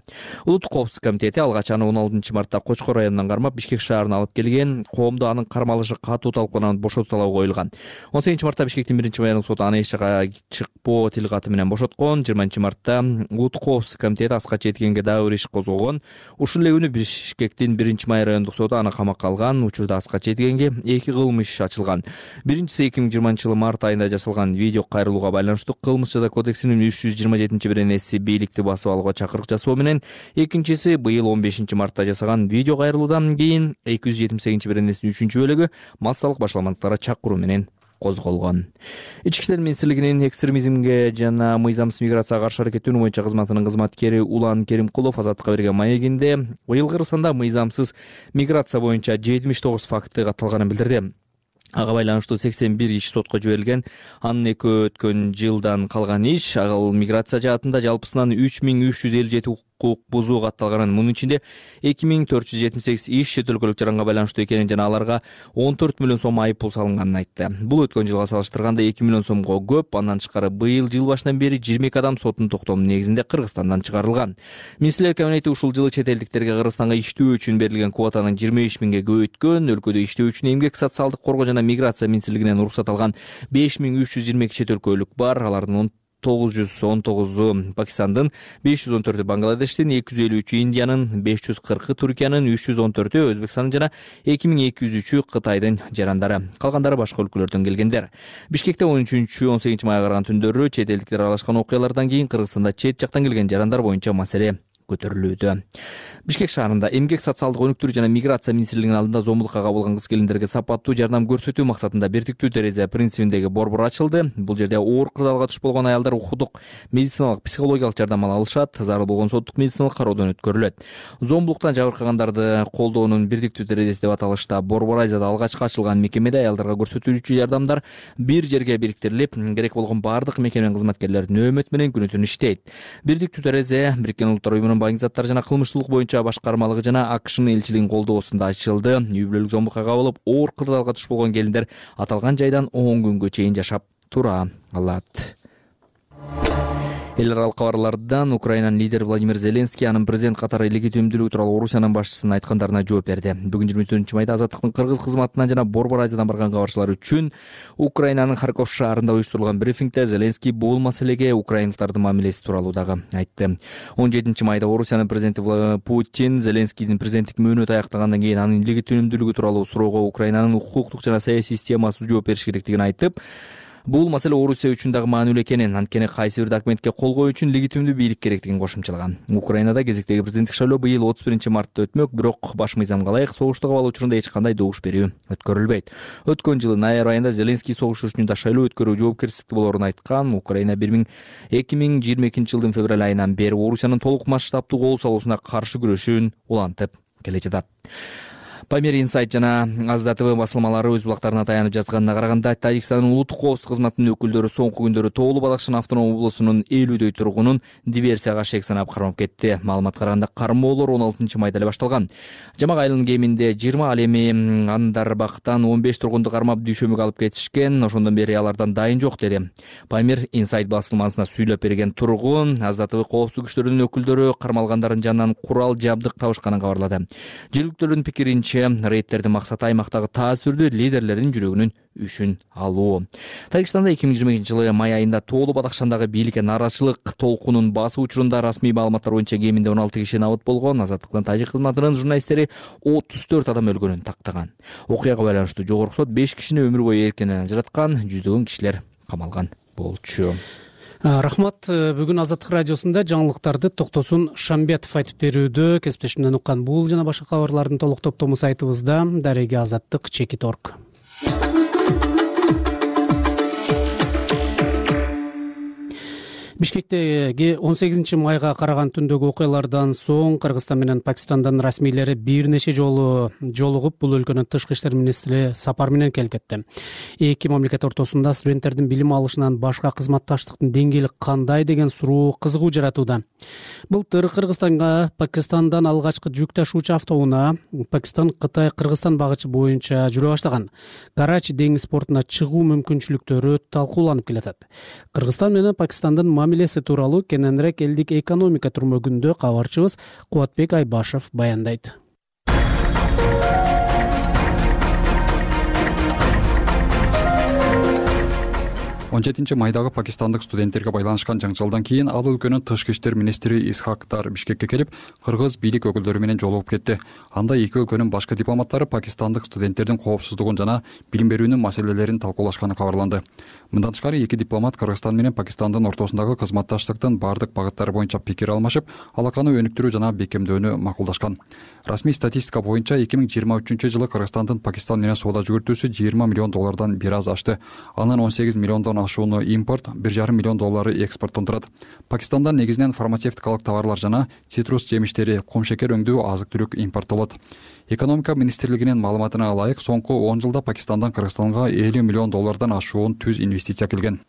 Улуттук коопсуздук комитети алгач аны 16 мартта Кочкор районунан кармап Бишкек шаарына алып келген. Коомдо анын кармалышы катуу талкууланып бошотуу талабы коюлган. 18 мартта Бишкектин 1-майдагы соту аны эч жакка чыкпоо тил каты менен бошоткон. 20 мартта улуттук коопсуздук комитети Аскат Жетигенге дагы бир иш козгогон. Ушул эле күнү Бишкектин 1-май райондук соту аны камакка алган. Учурда Аскат Жетигенге 2 кылмыш иш ачылган. Биринчиси 2020 март айында жасалган видео кайрылууга байланыштуу Кылмыш жаза кодексинин 327-беренеси бийликти басып алууга чакырык жасоо менен, экинчиси быйыл 15 мартта жасаган видео кайрылуудан кийин 278-беренесинин 3-бөлүгү массалык башаламалыктарга чакыруу менен козголгон. Ички иштер министрлигинин экстремизмге жана мыйзамсыз миграцияга каршы аракеттенүү боюнча кызматынын кызматкери Улан Керимкулов Азаттыкка берген маегинде быйыл Кыргызстанда мыйзамсыз миграция боюнча 79 факты катталганын билдирди. Ага байланыштуу 81 иш сотко жиберилген. Анын өткөн жылдан калган иш, ал миграция жаатында жалпысынан 3357 укук бузуу катталганын, мунун ичинде 2478 иш чет өлкөлүк жаранга байланыштуу экенин жана аларга 14 миллион сом айып пул салынганын айтты. Бул өткөн жылга салыштырганда 2 миллион сомго көп. Андан тышкары быйыл жыл башынан бери 22 адам соттун токтомунун негизинде Кыргызстандан чыгарылган. Министрлер кабинети ушул жылы чет элдиктерге Кыргызстанга иштөө үчүн берилген квотанын 25 миңге көбөйткөн. Өлкөдө иштөө үчүн эмгек социалдык коргоо жана миграция министрлигинен уруксат алган 5322 чет өлкөлүк бар. Алардын 919 Пакистандын, 514 Бангладештин, 253 Индиянын, 540 Түркиянын, 314 Өзбекстандын жана 2203 Кытайдын жарандары. Калгандары башка өлкөлөрдөн келгендер. Бишкекте 13-18 майга караган түндөрү чет элдиктер аралашкан окуялардан кийин Кыргызстанда чет жактан келген жарандар боюнча маселе көтөрүлүүдө. Бишкек шаарында эмгек социалдык өнүктүрүү жана миграция министрлигинин алдында зомбулукка кабылган кыз-келиндерге сапаттуу жардам көрсөтүү максатында бирдиктүү терезе принцибиндеги борбор ачылды. Бул жерде оор кырдаалга туш болгон аялдар укуктук, медициналык, психологиялык жардам ала алышат, зарыл болгон соттук медициналык кароодон өткөрүлөт. Зомбулуктан жабыркагандарды колдоонун бирдиктүү терезеси деп аталышта Борбор Азияда алгачкы ачылган мекемеде аялдарга көрсөтүлүүчү жардамдар бир жерге бириктирилип, керек болгон бардык мекеменин кызматкерлери нөөмөт менен күнү-түн иштейт. Бирдиктүү терезе Бириккен Улуттар уюмунун баңги заттар жана кылмыштуулук боюнча башкармалыгы жана АКШнын элчилигинин колдоосунда ачылды. Үй бүлөлүк зомбулукка кабылып, оор кырдаалга туш болгон келиндер аталган жайдан 10 күнгө чейин жашап тура алат. Эл аралык кабарлардан Украинанын лидери Владимир Зеленский анын президент катары легитимдүүлүгү тууралуу Орусиянын башчысынын айткандарына жооп берди. Бүгүн 24-майда Азаттыктын кыргыз кызматынан жана Борбор Азиядан барган кабарчылар үчүн Украинанын Харьков шаарында уюштурулган брифингде Зеленский бул маселеге украиндыктардын мамилеси тууралуу дагы айтты. 17-майда Орусиянын президенти Путин Зеленскийдин президенттик мөөнөтү аяктагандан кийин анын легитимдүүлүгү тууралуу суроого Украинанын укуктук жана саясий системасы жооп бериш керектигин айтып, бул маселе Орусия үчүн дагы маанилүү экенин, анткени кайсы бир документке кол коюу үчүн легитимдүү бийлик керектигин кошумчалаган. Украинада кезектеги президенттик шайлоо быйыл 31-мартта өтмөк, бирок баш мыйзамга ылайык согуштук абал учурунда эч кандай добуш берүү өткөрүлбөйт. Өткөн жылы ноябрь айында Зеленский согуш учурунда шайлоо өткөрүү жоопкерчиликтүү болоорун айткан. Украина 2022 жылдын февраль айынан бери Орусиянын толук масштабдуу кол салуусуна каршы күрөшүүн улантып келе жатат. Памир Инсайт жана Азда ТВ басылмалары өз булактарына таянып жазганына караганда, Тажикстандын улуттук коопсуздук кызматынын өкүлдөрү соңку күндөрү Тоолу Бадахшан автоном облусунун 50дөй тургунун диверсияга шек санап кармап кетти. Маалыматка караганда кармоолор 16-майда эле башталган. Жамак айылынын кеминде 20, ал эми Андарбактан 15 тургунду кармап дүйшөмүгө алып кетишкен. Ошондон бери алардан дайын жок деди. Памир Инсайт басылмасына сүйлөп берген тургун Азда ТВ коопсуздук күчтөрүнүн өкүлдөрү кармалгандардын жанынан курал жабдык табышканын кабарлады. Жергиликтүүлөрдүн пикиринче, рейдтердин максаты аймактагы таасирдүү лидерлердин жүрөгүнүн үшүн алуу. Тажикстанда 2022 жылы май айында Тоолу Бадахшандагы бийликке нааразычылык толкунун басуу учурунда расмий маалыматтар боюнча кеминде 16 киши набыт болгон. Азаттыктын тажик кызматынын журналисттери 34 адам өлгөнүн тактаган. Окуяга байланыштуу жогорку сот 5 кишини өмүр бою эркинен ажыраткан, жүздөгөн кишилер камалган болчу. Рахмат. Бүгүн Азаттык радиосунда жаңылыктарды Токтосун Шамбетов айтып берүүдө. Кесиптешимден уккан бул жана башка кабарлардын толук топтому сайтыбызда. Дареги Азаттык.org. Бишкектеги 18-майга караган түндөгү окуялардан соң Кыргызстан менен Пакистандын расмийлери бир нече жолу жолугуп, бул өлкөнүн тышкы иштер министри сапар менен келип кетти. Эки мамлекет ортосунда студенттердин билим алышынан башка кызматташтыктын деңгээли кандай деген суроо кызыгуу жаратууда. Былтыр Кыргызстанга Пакистандан алгачкы жүк ташуучу автоунаа Пакистан-Кытай-Кыргызстан багычы боюнча жүрө баштаган. Карачи деңиз портуна чыгуу мүмкүнчүлүктөрү талкууланып келатат. Кыргызстан менен Пакистандын мамилеси тууралуу кененирээк элдик экономика турмөгүндө кабарчыбыз Кубатбек Айбашев баяндайт. 17-майдагы пакистандык студенттерге байланышкан жаңжалдан кийин ал өлкөнүн тышкы иштер министри Исхактар Бишкекке келип, кыргыз бийлик өкүлдөрү менен жолугуп кетти. Анда эки өлкөнүн башкы дипломаттары пакистандык студенттердин коопсуздугун жана билим берүүнүн маселелерин талкуулашканы кабарланды. Мындан тышкары эки дипломат Кыргызстан менен Пакистандын ортосундагы кызматташтыктын бардык багыттары боюнча пикир алмашып, алаканы өнүктүрүү жана бекемдөөнү макулдашкан. Расмий статистика боюнча 2023 жылы Кыргызстандын Пакистан менен соода жүгүртүүсү $20 миллион бир аз ашты. Анын $18 миллиондон ашууну импорт, $1,5 миллион экспорттон турат. Пакистандан негизинен фармацевтикалык товарлар жана цитрус жемиштери, кум шекер өңдүү азык-түлүк импорттолот. Экономика министрлигинин маалыматына ылайык, соңку 10 жылда Пакистандан Кыргызстанга $50 миллион ашуун түз инвестиция келген.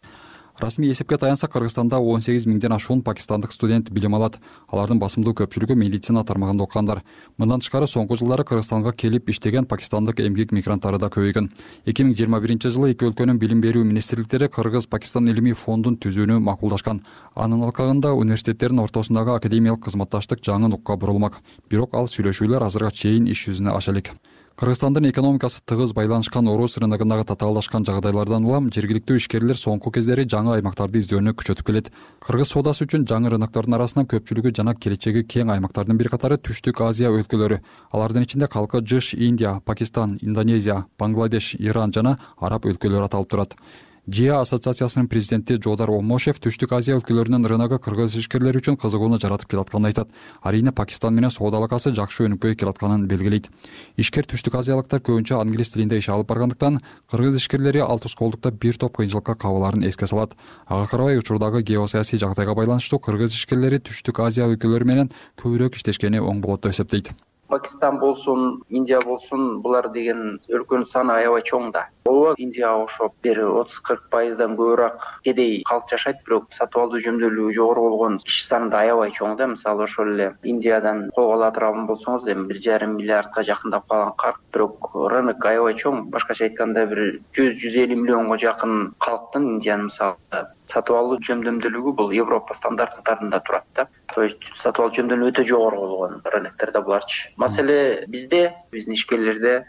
Расмий эсепке таянса, Кыргызстанда 18 миңден ашуун пакистандык студент билим алат. Алардын басымдуу көпчүлүгү медицина тармагында окугандар. Мындан тышкары соңку жылдары Кыргызстанга келип иштеген пакистандык эмгек мигранттары да көбөйгөн. 2021 жылы эки өлкөнүн билим берүү министрликтери Кыргыз-Пакистан илимий фондун түзүүнү макулдашкан. Анын алкагында университеттердин ортосундагы академиялык кызматташтык жаңы нукка бурулмак. Бирок ал сүйлөшүүлөр азырга чейин иш жүзүнө аша элек. Кыргызстандын экономикасы тыгыз байланышкан орус рыногундагы татаалдашкан жагдайлардан улам жергиликтүү ишкерлер соңку кездери жаңы аймактарды издөөнү күчөтүп келет. Кыргыз соодасы үчүн жаңы рыноктордун арасынан көпчүлүгү жана келечеги кең аймактардын бир катары Түштүк Азия өлкөлөрү. Алардын ичинде калкы жыш Индия, Пакистан, Индонезия, Бангладеш, Иран жана араб өлкөлөрү аталып турат. ЖИА ассоциациясынын президенти Жодар Омошев Түштүк Азия өлкөлөрүнүн рыногу кыргыз ишкерлери үчүн кызыгууну жаратып келатканын айтат. Арийне Пакистан менен соода алакасы жакшы өнүкпөй келатканын белгилейт. Ишкер түштүк азиялыктар көбүнчө англис тилинде иш алып баргандыктан кыргыз ишкерлери ал тускоолдукта бир топ кыйынчылыкка кабылаарын эске салат. Ага карабай учурдагы геосаясий жагдайга байланыштуу кыргыз ишкерлери Түштүк Азия өлкөлөрү менен көбүрөөк иштешкени оң болот деп эсептейт. Пакистан болсун, Индия болсун, булар деген өлкөнүн саны аябай чоң да. Ооба, Индияга окшоп бир 30-40% көбүрөөк кедей калк жашайт, бирок сатып алуу жөндөмдүүлүгү жогору болгон киши саны да аябай чоң да. Мисалы ошол эле Индиядан колго ала турган болсоңуз, эми 1,5 миллиардка жакындап калган калк, бирок рынок аябай чоң. Башкача айтканда бир 100-150 миллионго жакын калктын Индиянын мисалы сатып алуу жөндөмдүүлүгү бул Европа стандарттарында турат да. То есть сатып алуу жөндөмдүүлүгү өтө жогору болгон рыноктордо буларчы. Маселе биздин ишкерлерде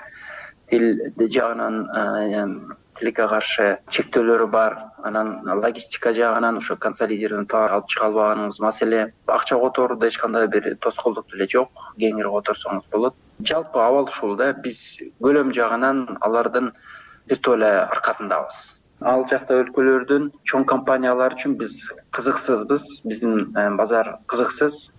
тил жагынан тилекке каршы чектөөлөрү бар, анан логистика жагынан ошо консолидированный товар алып чыга албаганыбыз маселе. Акча которууда эч кандай бир тоскоолдук деле жок, кеңири которсоңуз болот. Жалпы абал ушул да, биз көлөм жагынан алардын бир эле аркасындабыз. Ал жакта өлкөлөрдүн чоң компаниялары үчүн биз кызыксызбыз, биздин базар кызыксыз.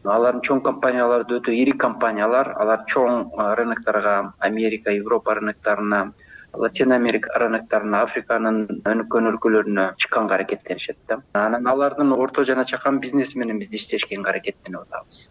Алардын чоң компаниялары өтө ири компаниялар, алар чоң рынокторго, Америка, Европа рынокторуна, Латин Америка рынокторуна, Африканын өнүккөн өлкөлөрүнө чыкканга аракеттенишет да. Анан алардын орто жана чакан бизнеси менен биз иштешкенге аракеттенип атабыз.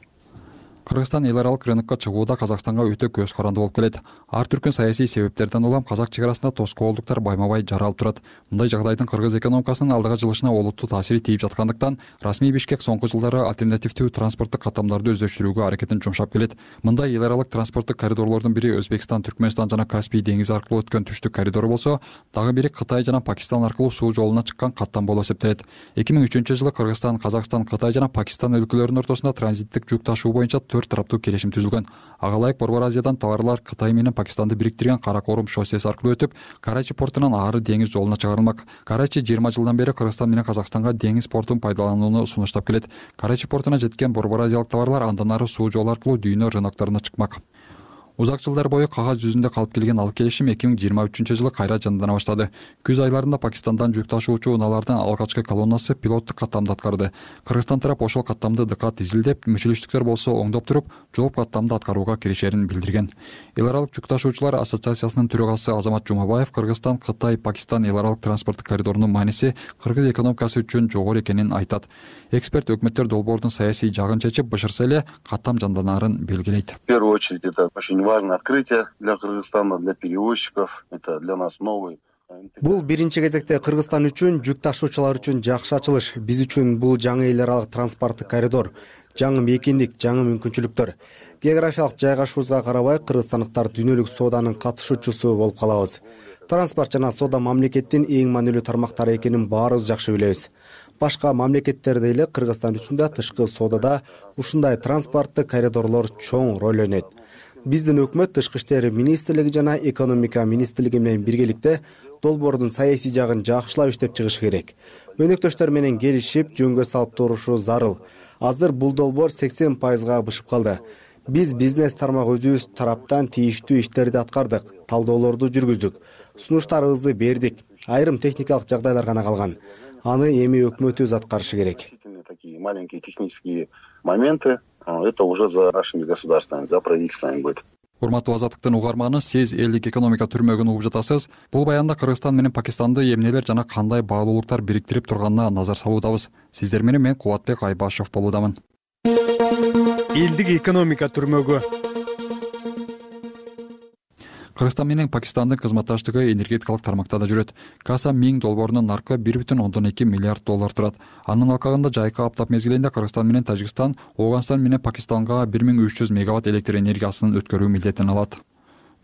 Кыргызстан эл аралык рынокко чыгууда Казакстанга өтө көз каранды болуп келет. Ар түркүн саясий себептерден улам казак чек арасында тоскоолдуктар байма-бай жаралып турат. Мындай жагдайдын кыргыз экономикасынын алдыга жылышына олуттуу таасири тийип жаткандыктан расмий Бишкек соңку жылдары альтернативдүү транспорттук каттамдарды өздөштүрүүгө аракетин жумшап келет. Мындай эл аралык транспорттук коридорлордун бири Өзбекстан, Түркмөнстан жана Каспий деңизи аркылуу өткөн түштүк коридору болсо, дагы бири Кытай жана Пакистан аркылуу суу жолуна чыккан каттам болуп эсептелет. 2003-жылы Кыргызстан, Казакстан, Кытай жана Пакистан өлкөлөрүнүн ортосунда транзиттик жүк ташуу боюнча 4 тараптуу келишим түзүлгөн. Ага ылайык Борбор Азиядан товарлар Кытай менен Пакистанды бириктирген Каракорум шоссеси аркылуу өтүп, Карачи портунан ары деңиз жолуна чыгарылмак. Карачи 20 жылдан бери Кыргызстан менен Казакстанга деңиз портун пайдаланууну сунуштап келет. Карачи портуна жеткен Борбор Азиялык товарлар андан ары суу жолу аркылуу дүйнө рынокторуна чыкмак. Узак жылдар бою кагаз жүзүндө калып келген ал келишим 2023-жылы кайра жандана баштады. Күз айларында Пакистандан жүк ташуучу унаалардын алгачкы колоннасы пилоттук каттамды аткарды. Кыргызстан тарап ошол каттамды ДК изилдеп, мүчөлүштүктөр болсо оңдоп туруп, жооп каттамды аткарууга киришерин билдирген. Эл аралык жүк ташуучулар ассоциациясынын төрагасы Азамат Жумабаев Кыргызстан, Кытай, Пакистан эл аралык транспорттук коридорунун мааниси кыргыз экономикасы үчүн жогору экенин айтат. Эксперт өкмөттөр долбоордун саясий жагын чечип, бышырса эле каттам жанданарын белгилейт. В первую очередь это очень важное открытие для Кыргызстана, для перевозчиков. Это для нас новый. Бул биринчи кезекте Кыргызстан үчүн, жүк ташуучулар үчүн жакшы ачылыш. Биз үчүн бул жаңы эл аралык транспорттук коридор, жаңы мейкиндик, жаңы мүмкүнчүлүктөр. Географиялык жайгашуубузга карабай, кыргызстандыктар дүйнөлүк сооданын катышуучусу болуп калабыз. Транспорт жана соода мамлекеттин эң маанилүү тармактары экенин баарыбыз жакшы билебиз. Башка мамлекеттерде эле Кыргызстан үчүн да тышкы соодада ушундай транспорттук коридорлор чоң роль ойнойт. Биздин өкмөт Тышкы иштер министрлиги жана экономика министрлиги менен биргеликте долбоордун саясий жагын жакшылап иштеп чыгыш керек. Өнөктөштөр менен келишип, жөнгө салып турушу зарыл. Азыр бул долбоор 80%га бышып калды. Биз бизнес тармак өзүбүз тараптан тийиштүү иштерди аткардык, талдоолорду жүргүздүк, сунуштарыбызды бердик. Айрым техникалык жагдайлар гана калган. Аны эми өкмөтүбүз аткарышы керек. Такие маленькие технические моменты. Это уже за нашими государствами, за правительствами будет. Урматтуу Азаттыктын угарманы, сиз элдик экономика түрмөгүн угуп жатасыз. Бул баянда Кыргызстан менен Пакистанды эмнелер жана кандай баалуулуктар бириктирип турганына назар салуудабыз. Сиздер менен мен Кубатбек Айбашев болуудамын. Элдик экономика түрмөгү. Кыргызстан менен Пакистандын кызматташтыгы энергетикалык тармакта да жүрөт. Каса 1000 долбоорунун наркы 1,2 миллиард доллар турат. Анын алкагында жайкы аптап мезгилинде Кыргызстан менен Тажикстан, Ооганстан менен Пакистанга 1300 мегаватт электр энергиясын өткөрүү милдетин алат.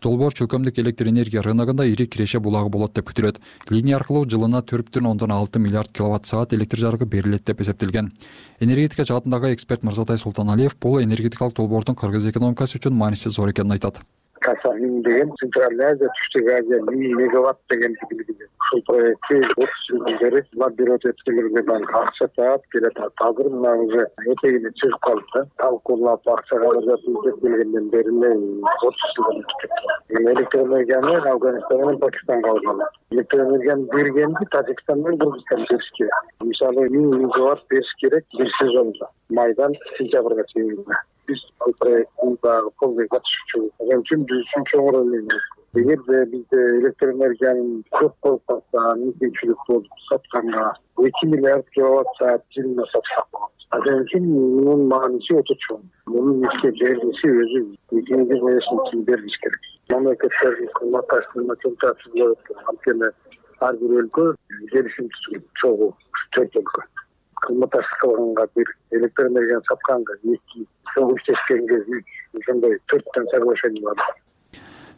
Долбоор чөлкөмдүк электр энергия рыногунда ири киреше булагы болот деп күтүлөт. Линия аркылуу жылына 4,6 миллиард киловатт саат электр жарыгы берилет деп эсептелген. Энергетика жаатындагы эксперт Мырзатай Султаналиев бул энергетикалык долбоордун кыргыз экономикасы үчүн мааниси зор экенин айтат. Каса 1000 деген Центральная Азия, Түштүк Азия 1000 мегаватт деген билгиде. Ушул проектти 30 жылдан бери бирот өткөрүүгө акча таап келет. Азыр мына уже этегине чыгып калды. Талкуулап акча каражатын деп келгенден бери 30 жылдан өтүп. Электр энергияны Афганистан менен Пакистанга алган. Электр энергияны бергенди Тажикстан менен Кыргызстан бериш керек. Мисалы 1000 мегаватт бериш керек бир сезонда. Майдан сентябрга чейин. Биз ал проекттин колдой катышуучу үчүн биз үчүн чоң роль ойнойт. Эгерде бизде электр энергиянын көп болуп калса, мүмкүнчүлүк болуп сатканга 2 миллиард киловатт саат жылына сатсак болот. Анын үчүн мунун мааниси өтө чоң. Мунун ишке берилиши өзү негиз менен берилиш керек. Мамлекеттердин кызматташтыгына чоң таасир болот. Анткени ар бир өлкө келишим түзгөн, чогуу 4 өлкө. Кызматташтык кылганга бир электр энергияны сатканга 2 иштешкенге 3 ошондой 4 соглашение бар.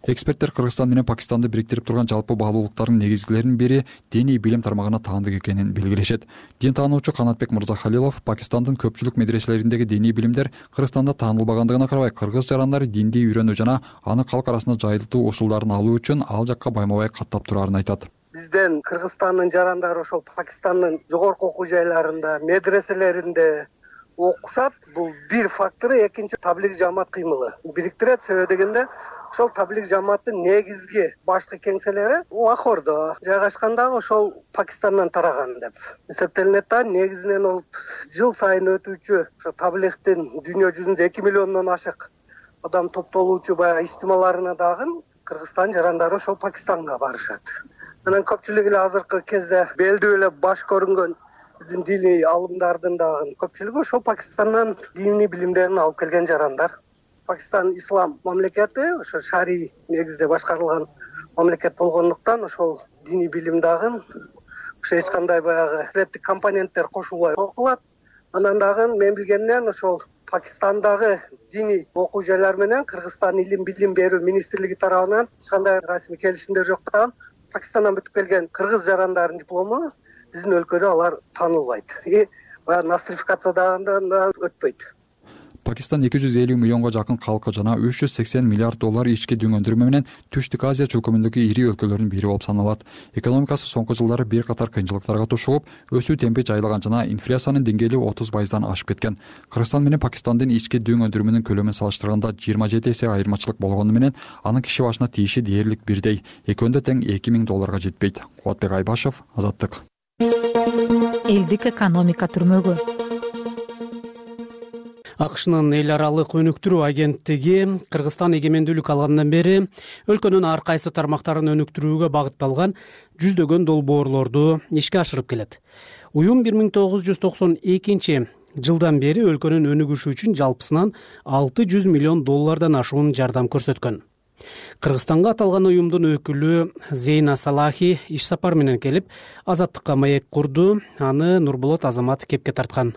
Эксперттер Кыргызстан менен Пакистанды бириктирип турган жалпы баалуулуктардын негизгилеринин бири диний билим тармагына таандык экенин белгилешет. Дин таануучу Канатбек Мырзахалилов Пакистандын көпчүлүк медреселериндеги диний билимдер Кыргызстанда таанылбагандыгына карабай, кыргыз жарандары динди үйрөнүү жана аны калк арасында жайылтуу усулдарын алуу үчүн ал жакка байма-бай каттап турарын айтат. Бизден Кыргызстандын жарандары ошол Пакистандын жогорку окуу жайларында, медреселеринде окушат. Бул бир фактору, экинчи таблиг жамаат кыймылы бириктирет. Себеби дегенде ошол таблиг жамааттын негизги башкы кеңселери Лахордо жайгашкандагы ошол Пакистандан тараган деп эсептелинет да. Негизинен ол жыл сайын өтүүчү ошо таблигдин дүйнө жүзүндө 2 миллиондон ашык адам топтолуучу баягы ичтималарына дагы Кыргызстан жарандары ошол Пакистанга барышат. Анан көпчүлүгү эле азыркы кезде белдүү эле баш көрүнгөн биздин диний алымдардын дагы көпчүлүгү ошол Пакистандан диний билимдерин алып келген жарандар. Пакистан ислам мамлекети, ошо шарий негизде башкарылган мамлекет болгондуктан ошол диний билим дагы ошо эч кандай баягы силеттик компоненттер кошулбай окулат. Анан дагы мен билгенден ошол Пакистандагы диний окуу жайлар менен Кыргызстан илим билим берүү министрлиги тарабынан эч кандай расмий келишимдер жок да. Пакистандан бүтүп келген кыргыз жарандардын диплому биздин өлкөдө алар таанылбайт. Баягы нострификациядан да өтпөйт. Пакистан 250 миллионго жакын калкы жана 380 миллиард доллар ички дүң өндүрмө менен Түштүк Азия чөлкөмүндөгү ири өлкөлөрдүн бири болуп саналат. Экономикасы соңку жылдары бир катар кыйынчылыктарга тушугуп, өсүү темпи жайлаган жана инфляциянын деңгээли 30% ашып кеткен. Кыргызстан менен Пакистандын ички дүң өндүрмөнүн көлөмүн салыштырганда 27 эсе айырмачылык болгону менен анын киши башына тийиши дээрлик бирдей. Экөөндө тең 2000 долларга жетпейт. Кубатбек Айбашев, Азаттык. Элдик экономика түрмөгү. АКШнын эл аралык өнүктүрүү агенттиги Кыргызстан эгемендүүлүк алгандан бери өлкөнүн ар кайсы тармактарын өнүктүрүүгө багытталган жүздөгөн долбоорлорду ишке ашырып келет. Уюм 1992 жылдан бери өлкөнүн өнүгүшү үчүн жалпысынан 600 миллион доллардан ашуун жардам көрсөткөн. Кыргызстанга аталган уюмдун өкүлү Зейна Салахи иш сапар менен келип, Азаттыкка маек курду. Аны Нурболот Азамат кепке тарткан.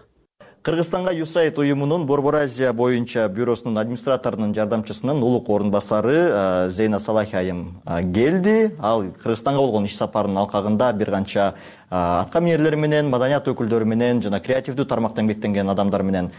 Кыргызстанга USAID уюмунун Борбор Азия боюнча бюросунун администраторунун жардамчысынын улук орун басары Зейна Салахи айым келди. Ал Кыргызстанга болгон иш сапарынын алкагында бир канча атка минерлер менен, маданият өкүлдөрү менен жана креативдүү тармакта эмгектенген адамдар менен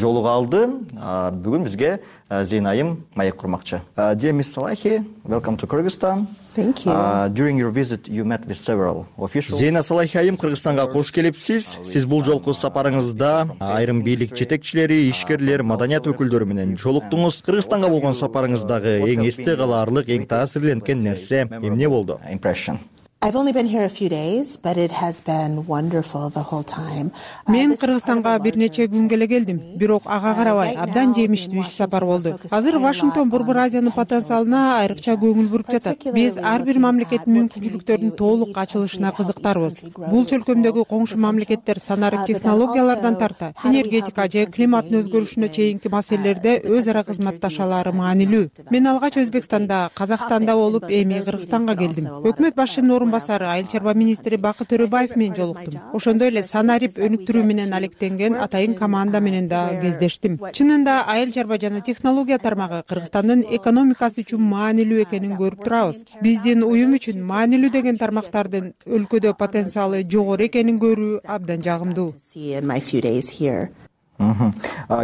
жолуга алды. Бүгүн бизге Зейна айым маек курмакчы. Dear Ms. Salahi, welcome to Kyrgyzstan. Thank you. During your visit, you met with several officials. Зейна Салахи айым, Кыргызстанга кош келипсиз. Сиз бул жолку сапарыңызда айрым бийлик жетекчилери, ишкерлер, маданият өкүлдөрү менен жолуктуңуз. Кыргызстанга болгон сапарыңыздагы эң эсте калаарлык, эң таасирленткен нерсе эмне болду? Impression. I've only been here a few days, but it has been wonderful the whole time. Мен Кыргызстанга бир нече күнгө эле келдим, бирок ага карабай абдан жемиштүү иш сапар болду. Азыр Вашингтон Борбор Азиянын потенциалына айрыкча көңүл буруп жатат. Биз ар бир мамлекеттин мүмкүнчүлүктөрүнүн толук ачылышына кызыктарбыз. Бул чөлкөмдөгү коңшу мамлекеттер санарип технологиялардан тарта энергетика же климаттын өзгөрүшүнө чейинки маселелерде өз ара кызматташалары маанилүү. Мен алгач Өзбекстанда, Казакстанда болуп, эми Кыргызстанга келдим. Өкмөт башчынын орун басары айыл чарба министри Бакыт Төрөбаев менен жолуктум. Ошондой эле санарип өнүктүрүү менен алектенген атайын команда менен да кездештим. Чынында айыл чарба жана технология тармагы Кыргызстандын экономикасы үчүн маанилүү экенин көрүп турабыз. Биздин уюм үчүн маанилүү деген тармактардын өлкөдө потенциалы жогору экенин көрүү абдан жагымдуу.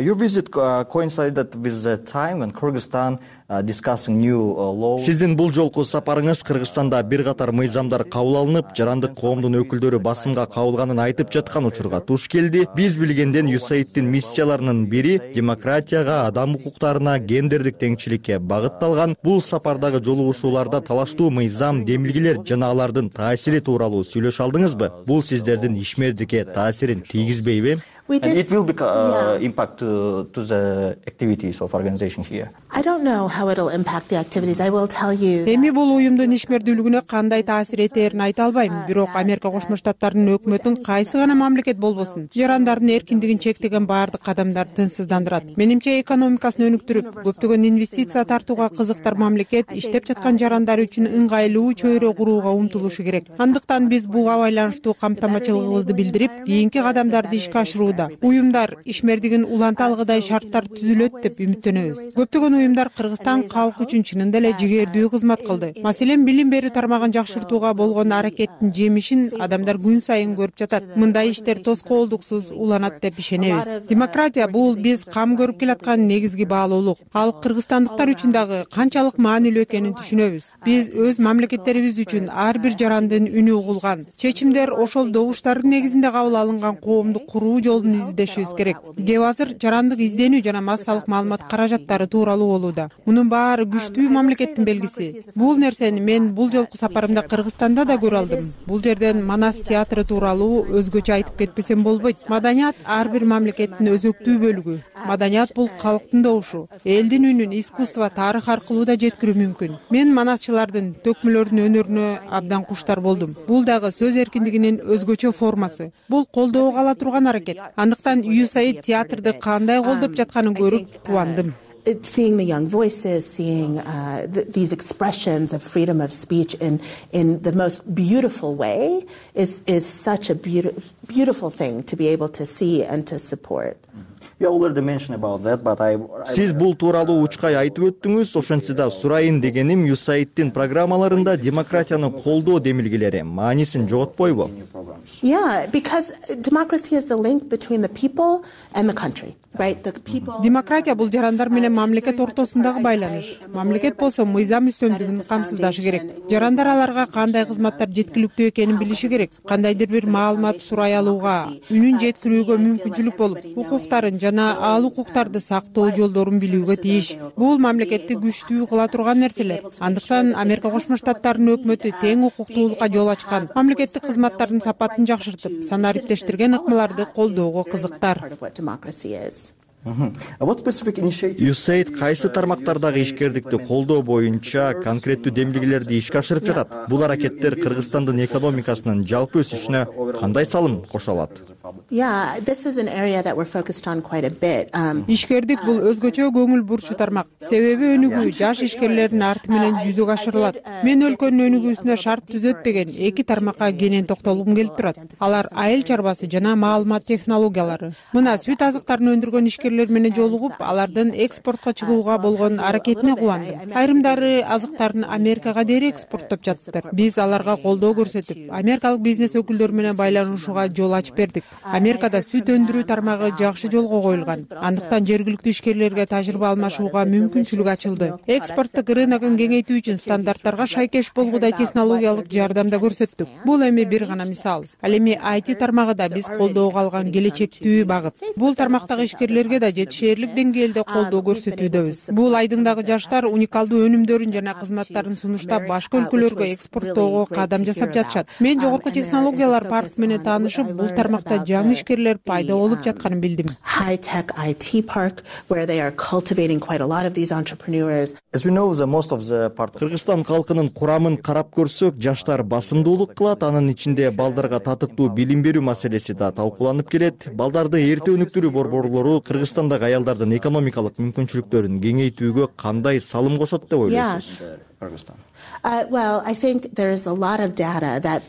Your visit coincided with the time when Kyrgyzstan discussing new laws. Сиздин бул жолку сапарыңыз Кыргызстанда бир катар мыйзамдар кабыл алынып, жарандык коомдун өкүлдөрү басымга кабылганын айтып жаткан учурга туш келди. Биз билгенден USAID-тин миссияларынын бири демократияга, адам укуктарына, гендердик теңчиликке багытталган. Бул сапардагы жолугушууларда талаштуу мыйзам, демилгелер жана алардын таасири тууралуу сүйлөшө алдыңызбы? Бул сиздердин ишмердикке таасирин тийгизбейби? And it will be impact to the activities of organization here. I don't know how it'll impact the activities. I will tell you. Эми бул уюмдун ишмердүүлүгүнө кандай таасир этерин айта албайм. Бирок Америка Кошмо Штаттарынын өкмөтүн кайсы гана мамлекет болбосун, жарандардын эркиндигин чектеген баардык кадамдар тынчсыздандырат. Менимче экономикасын өнүктүрүп, көптөгөн инвестиция тартууга кызыктар мамлекет иштеп жаткан жарандар үчүн ыңгайлуу чөйрө курууга умтулушу керек. Андыктан биз буга байланыштуу камтамачылыгыбызды билдирип, кийинки кадамдарды ишке ашырууда алууда. Уюмдар ишмердигин уланта алгыдай шарттар түзүлөт деп үмүттөнөбүз. Көптөгөн уюмдар Кыргызстан калкы үчүн чынында эле жигердүү кызмат кылды. Маселен, билим берүү тармагын жакшыртууга болгон аракеттин жемишин адамдар күн сайын көрүп жатат. Мындай иштер тоскоолдуксуз уланат деп ишенебиз. Демократия бул биз кам көрүп келаткан негизги баалуулук. Ал кыргызстандыктар үчүн дагы канчалык маанилүү экенин түшүнөбүз. Биз өз мамлекеттерибиз үчүн ар бир жарандын үнү угулган, чечимдер ошол добуштардын негизинде кабыл алынган коомду куруу жолун издешибиз керек. Кеп азыр жарандык изденүү жана массалык маалымат каражаттары тууралуу болууда. Мунун баары күчтүү мамлекеттин белгиси. Бул нерсени мен бул жолку сапарымда Кыргызстанда да көрө алдым. Бул жерден Манас театры тууралуу өзгөчө айтып кетпесем болбойт. Маданият ар бир мамлекеттин өзөктүү бөлүгү. Маданият бул калктын добушу. Элдин үнүн искусство, тарых аркылуу да жеткирүү мүмкүн. Мен манасчылардын, төкмөлөрдүн өнөрүнө абдан куштар болдум. Бул дагы сөз эркиндигинин өзгөчө формасы. Бул колдоого ала турган аракет. Андыктан USAID театрды кандай колдоп жатканын көрүп кубандым. Seeing the young voices, seeing these expressions of freedom of speech in the most beautiful way is such a beautiful thing to be able to see and to support. Сиз бул тууралуу учкай айтып өттүңүз, ошентсе да сурайын дегеним USAID'дин программаларында демократияны колдоо демилгелери маанисин жоготпойбу? Yeah, because democracy is the link between the people and the country, right? The people. Демократия бул жарандар менен мамлекет ортосундагы байланыш. Мамлекет болсо мыйзам үстөмдүгүн камсыздашы керек. Жарандар аларга кандай кызматтар жеткиликтүү экенин билиши керек. Кандайдыр бир маалымат сурай алууга, үнүн жеткирүүгө мүмкүнчүлүк болуп, укуктарын жана ал укуктарды сактоо жолдорун билүүгө тийиш. Бул мамлекетти күчтүү кыла турган нерселер. Андыктан Америка Кошмо Штаттарынын өкмөтү тең укуктуулукка жол ачкан, мамлекеттик кызматтардын сапатын жакшыртып, санариптештирген ыкмаларды колдоого кызыктар. USAID кайсы тармактардагы ишкердикти колдоо боюнча конкреттүү демилгелерди ишке ашырып жатат? Бул аракеттер Кыргызстандын экономикасынын жалпы өсүшүнө кандай салым кошо алат? Yeah, this is an area that we're focused on quite a bit. Ишкердик бул өзгөчө көңүл бурчу тармак. Себеби өнүгүү жаш ишкерлердин арты менен жүзөгө ашырылат. Мен өлкөнүн өнүгүүсүнө шарт түзөт деген эки тармакка кенен токтолгум келип турат. Алар айыл чарбасы жана маалымат технологиялары. Мына сүт азыктарын өндүргөн ишкерлер менен жолугуп, алардын экспортко чыгууга болгон аракетине кубандым. Айрымдары азыктарын Америкага дери экспорттоп жатыптыр. Биз аларга колдоо көрсөтүп, америкалык бизнес өкүлдөрү менен байланышууга жол ачып бердик. Америкада сүт өндүрүү тармагы жакшы жолго коюлган. Андыктан жергиликтүү ишкерлерге тажрыйба алмашууга мүмкүнчүлүк ачылды. Экспорттук рыногун кеңейтүү үчүн стандарттарга шайкеш болгудай технологиялык жардам да көрсөттүк. Бул эми бир гана мисал. Ал эми IT тармагы да биз колдоого алган келечектүү багыт. Бул тармактагы ишкерлерге да жетишээрлик деңгээлде колдоо көрсөтүүдөбүз. Бул айдыңдагы жаштар уникалдуу өнүмдөрүн жана кызматтарын сунуштап башка өлкөлөргө экспорттоого кадам жасап жатышат. Мен жогорку технологиялар паркы менен таанышып, бул тармакта жаңы ишкерлер пайда болуп жатканын билдим. High tech IT park where they are cultivating quite a lot of these entrepreneurs. Кыргызстан калкынын курамын карап көрсөк, жаштар басымдуулук кылат, анын ичинде балдарга татыктуу билим берүү маселеси да талкууланып келет. Балдарды эрте өнүктүрүү борборлору Кыргызстандагы аялдардын экономикалык мүмкүнчүлүктөрүн кеңейтүүгө кандай салым кошот деп ойлойсуз? Well, I think there's a lot of data that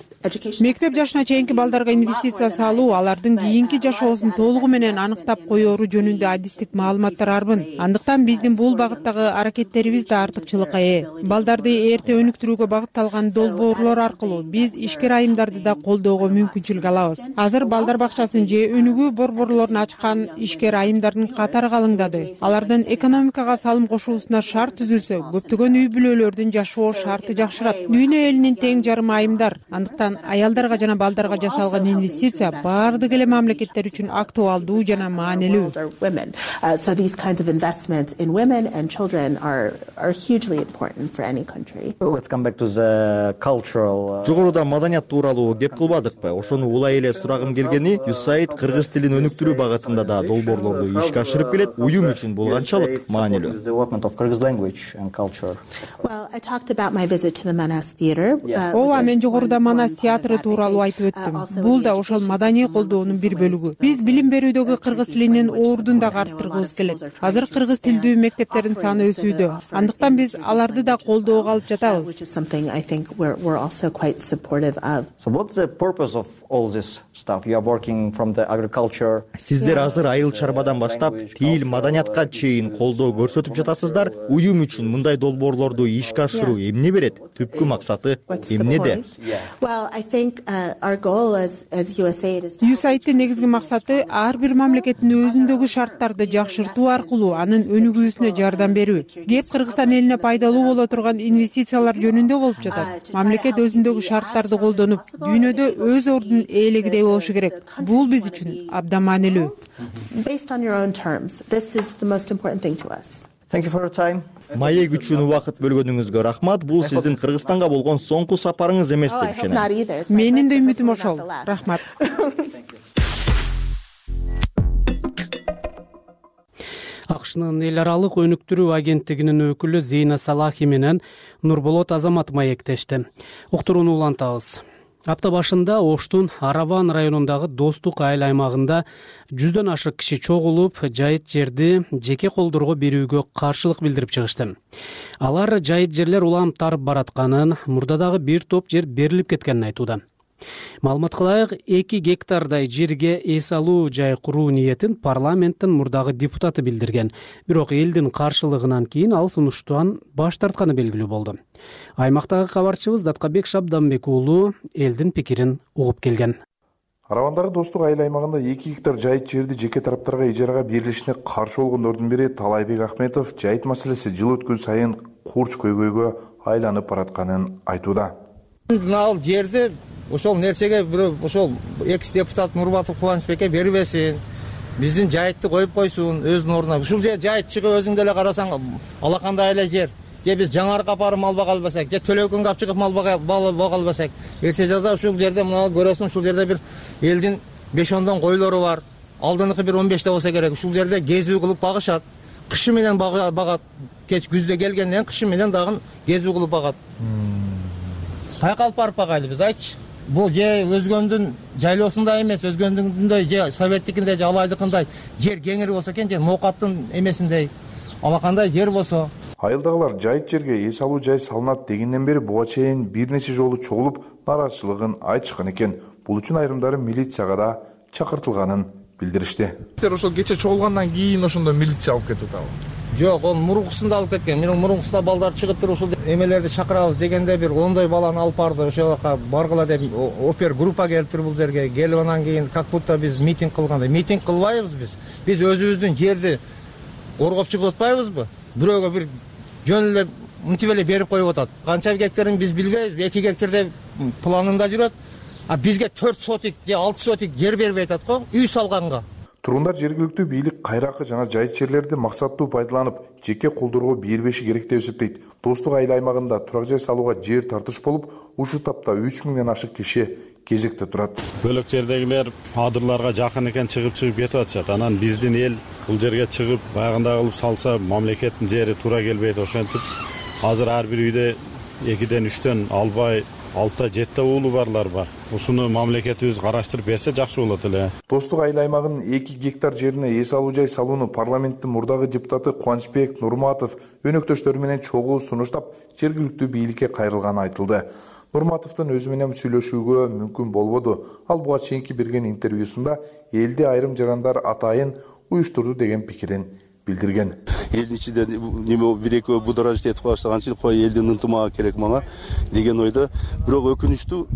Мектеп жашына чейинки балдарга инвестиция салуу, алардын кийинки жашоосун толугу менен аныктап коёру жөнүндө адистик маалыматтар арбын. Андыктан биздин бул багыттагы аракеттерибиз да артыкчылыкка ээ. Балдарды эрте өнүктүрүүгө багытталган долбоорлор аркылуу биз ишкер айымдарды да колдоого мүмкүнчүлүк алабыз. Азыр балдар бакчасын же өнүгүү борборлорун ачкан ишкер айымдардын катары калыңдады. Алардын экономикага салым кошуусуна шарт түзүлсө, көптөгөн үй бүлөлөрдүн жашоо шарты жакшырат. Дүйнө элинин тең жарымы айымдар. Андыктан аялдарга жана балдарга жасалган инвестиция баардык эле мамлекеттер үчүн актуалдуу жана маанилүү. So these kinds of investments in women and children are hugely important for any country. Let's come back to the cultural. Жогоруда маданият тууралуу кеп кылбадыкпы? Ошону улай эле сурагым келгени, USAID кыргыз тилин өнүктүрүү багытында да долбоорлорду ишке ашырып келет. Уюм үчүн бул канчалык маанилүү? Well, I talked about my visit to the Manas Theater. Ооба, мен жогоруда Манас театры тууралуу айтып өттүм. Бул да ошол маданий колдоонун бир бөлүгү. Биз билим берүүдөгү кыргыз тилинин ордун дагы арттыргыбыз келет. Азыр кыргыз тилдүү мектептердин саны өсүүдө. Андыктан биз аларды да колдоого алып жатабыз. Сиздер азыр айыл чарбадан баштап тил, маданиятка чейин колдоо көрсөтүп жатасыздар. Уюм үчүн мындай долбоорлорду ишке ашыруу эмне берет? Түпкү максаты эмнеде? USAID'дин негизги максаты ар бир мамлекеттин өзүндөгү шарттарды жакшыртуу аркылуу анын өнүгүүсүнө жардам берүү. Кеп Кыргызстан элине пайдалуу боло турган инвестициялар жөнүндө болуп жатат. Мамлекет өзүндөгү шарттарды колдонуп, дүйнөдө өз ордунун ээлегидей болушу керек. Бул биз үчүн абдан маанилүү. Маек үчүн убакыт бөлгөнүңүзгө рахмат. Бул сиздин Кыргызстанга болгон соңку сапарыңыз эмес деп ишенем. Менин да үмүтүм ошол. Рахмат. АКШнын эл аралык өнүктүрүү агенттигинин өкүлү Зейна Салахи менен Нурболот Азамат маектешти. Уктурууну улантабыз. Апта башында Оштун Араван районундагы Достук айыл аймагында 100дөн ашык киши чогулуп, жайыт жерди жеке колдорго берүүгө каршылык билдирип чыгышты. Алар жайыт жерлер улам тарып баратканын, мурда дагы бир топ жер берилип кеткенин айтууда. Маалымат кылайык, 2 гектардай жерге эс алуу жай куруу ниетин парламенттин мурдагы депутаты билдирген. Бирок элдин каршылыгынан кийин ал сунуштан баш тартканы белгилүү болду. Аймактагы кабарчыбыз Даткабек Шабданбек уулу элдин пикирин угуп келген. Аравандагы Достук айыл аймагында 2 гектар жайыт жерди жеке тараптарга ижарага берилишине каршы болгондордун бири Талайбек Ахметов жайыт маселеси жыл өткөн сайын курч көйгөйгө айланып баратканын айтууда. Ал жерди ошол нерсеге бирөө ошол экс-депутат Нурбатов Кубанычбекке бербесин. Биздин жайытты коюп койсун өзүнүн ордуна. Ушул жайыт чыгып өзүң деле карасаң алакандай эле жер. Же биз Жаңарыкка апарып мал бага албасак, же Төлөкөнгө алып чыгып мал бага албасак, эрте жаза ушул жерде мына көрөсүң, ушул жерде бир элдин 5-10 койлору бар. Алдыңкы бир 15 болсо керек. Ушул жерде кезүү кылып багышат. Кышы менен багат. Кеч күздө келгенден кышы менен дагы кезүү кылып багат. Каяка алып барып багайлы биз айтчы. Бул же өзгөндүн жайлоосундай эмес, өзгөндүндөй же советтикиндей же алайдыкындай жер кеңири болсо экен, же ноокаттын эмесиндей алакандай жер болсо. Айылдагылар жайыт жерге эс алуу жай салынат дегенден бери буга чейин бир нече жолу чогулуп нааразычылыгын айтышкан экен. Бул үчүн айрымдары милицияга да чакыртылганын билдиришти. Ошол кече чогулгандан кийин ошондо милиция алып кетип атабы? Жок, ал мурункусунда алып кеткен. Менин мурункусунда балдар чыгып туруп ушул эмелерди чакырабыз дегенде бир 10 баланы алып барды. Ошол жака баргыла деп опер группа келиптир бул жерге. Келип анан кийин как будто биз митинг кылгандай. Митинг кылбайбыз биз. Биз өзүбүздүн жерди коргоп чыгып атпайбызбы? Бирөөгө бир жөн эле мынтип эле берип коюп атат. Канча гектарын биз билбейбиз. 2 гектарда планында жүрөт. А бизге 4 сотик же 6 сотик жер бербей атат го, үй салганга. Тургундар жергиликтүү бийлик кайракы жана жайыт жерлерди максаттуу пайдаланып, жеке колдорго бербеши керек деп эсептейт. Достук айыл аймагында турак жай салууга жер тартыш болуп, ушул тапта 3000ден ашык киши кезекте турат. Бөлөк жердегилер адырларга жакын экен чыгып кетип атышат. Анан биздин эл бул жерге чыгып баягындай кылып салса, мамлекеттин жери туура келбейт. Ошентип азыр ар бир үйдө 2ден 3дөн албай 6-7 уулу барлар бар. Ушуну мамлекетибиз караштырып берсе жакшы болот эле. Достук айыл аймагынын 2 гектар жерине эс алуу жай салууну парламенттин мурдагы депутаты Кубанычбек Нурматов өнөктөштөрү менен чогуу сунуштап, жергиликтүү бийликке кайрылганы айтылды. Нурматовдун өзү менен сүйлөшүүгө мүмкүн болбоду. Ал буга чейинки берген интервьюсунда элди айрым жарандар атайын уюштурду деген пикирин билдирген. Элдин ичинде неме бир-экөө бударажит этип баштаганчы, кой элдин ынтымагы керек мага деген ойдо. Бирок өкүнүчтүү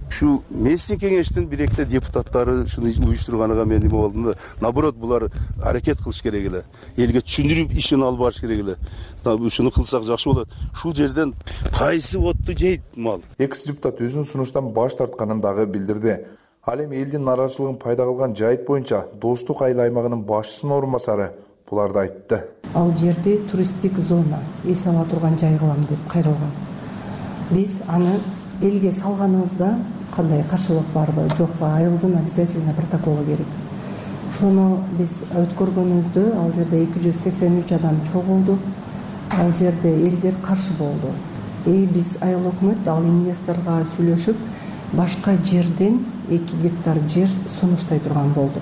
ушу местный кеңештин бир-экте депутаттары ушуну уюштурганга мен неме болдум да. Наоборот, булар аракет кылыш керек эле. Элге түшүндүрүп ишин алып барыш керек эле. Ушуну кылсак жакшы болот. Ушул жерден кайсы отту жейт мал? Экс-депутат өзүнүн сунуштан баш тартканын дагы билдирди. Ал эми элдин нааразычылыгын пайда кылган жайыт боюнча Достук айыл аймагынын башчысынын орун басары буларды айтты. Ал жерди туристтик зона эс ала турган жай кылам деп кайрылган. Биз аны элге салганыбызда кандай каршылык барбы, жокпу, айылдын обязательно протоколу керек. Ошону биз өткөргөнүбүздө ал жерде 283 адам чогулду. Ал жерде элдер каршы болду. Биз айыл өкмөт ал инвесторго сүйлөшүп, башка жерден 2 гектар жер сунуштай турган болду.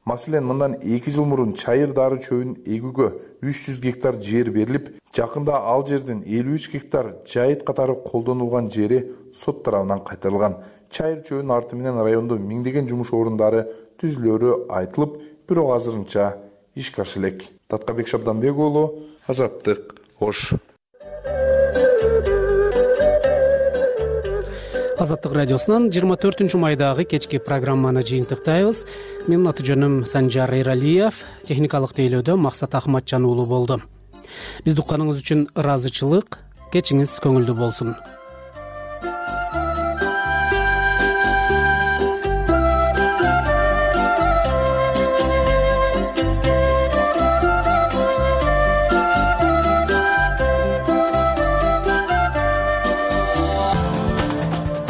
Маселен, мындан 2 жыл мурун чайыр дары чөбүн эгүүгө 300 гектар жер берилип, жакында ал жердин 53 гектар жайыт катары колдонулган жери сот тарабынан кайтарылган. Чайыр чөбүнүн арты менен райондо миңдеген жумуш орундары түзүлөрү айтылып, бирок азырынча ишке аша элек. Таткабек Шабданбек уулу, Азаттык, Ош. Азаттык радиосунан 24 майдагы кечки программаны жыйынтыктайбыз. Менин аты жөнүм Санжар Эралиев, техникалык тейлөөдө Максат Ахматжан уулу болду. Бизди укканыңыз үчүн ыраазычылык, кечиңиз көңүлдүү болсун.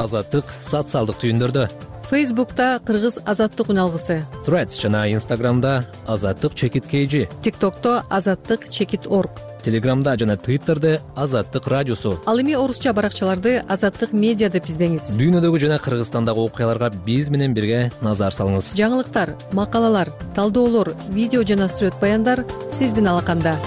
Азаттык социалдык түйүндөрдө. Фейсбукта Кыргыз азаттык үналгысы. Threads жана Instagramда Азаттык _KG. TikTokто Азаттык_org. Телеграмда жана Twitterде Азаттык радиосу. Ал эми орусча баракчаларды Азаттык медиа деп издеңиз. Дүйнөдөгү жана Кыргызстандагы окуяларга биз менен бирге назар салыңыз. Жаңылыктар, макалалар, талдоолор, видео жана сүрөт баяндар сиздин алаканда.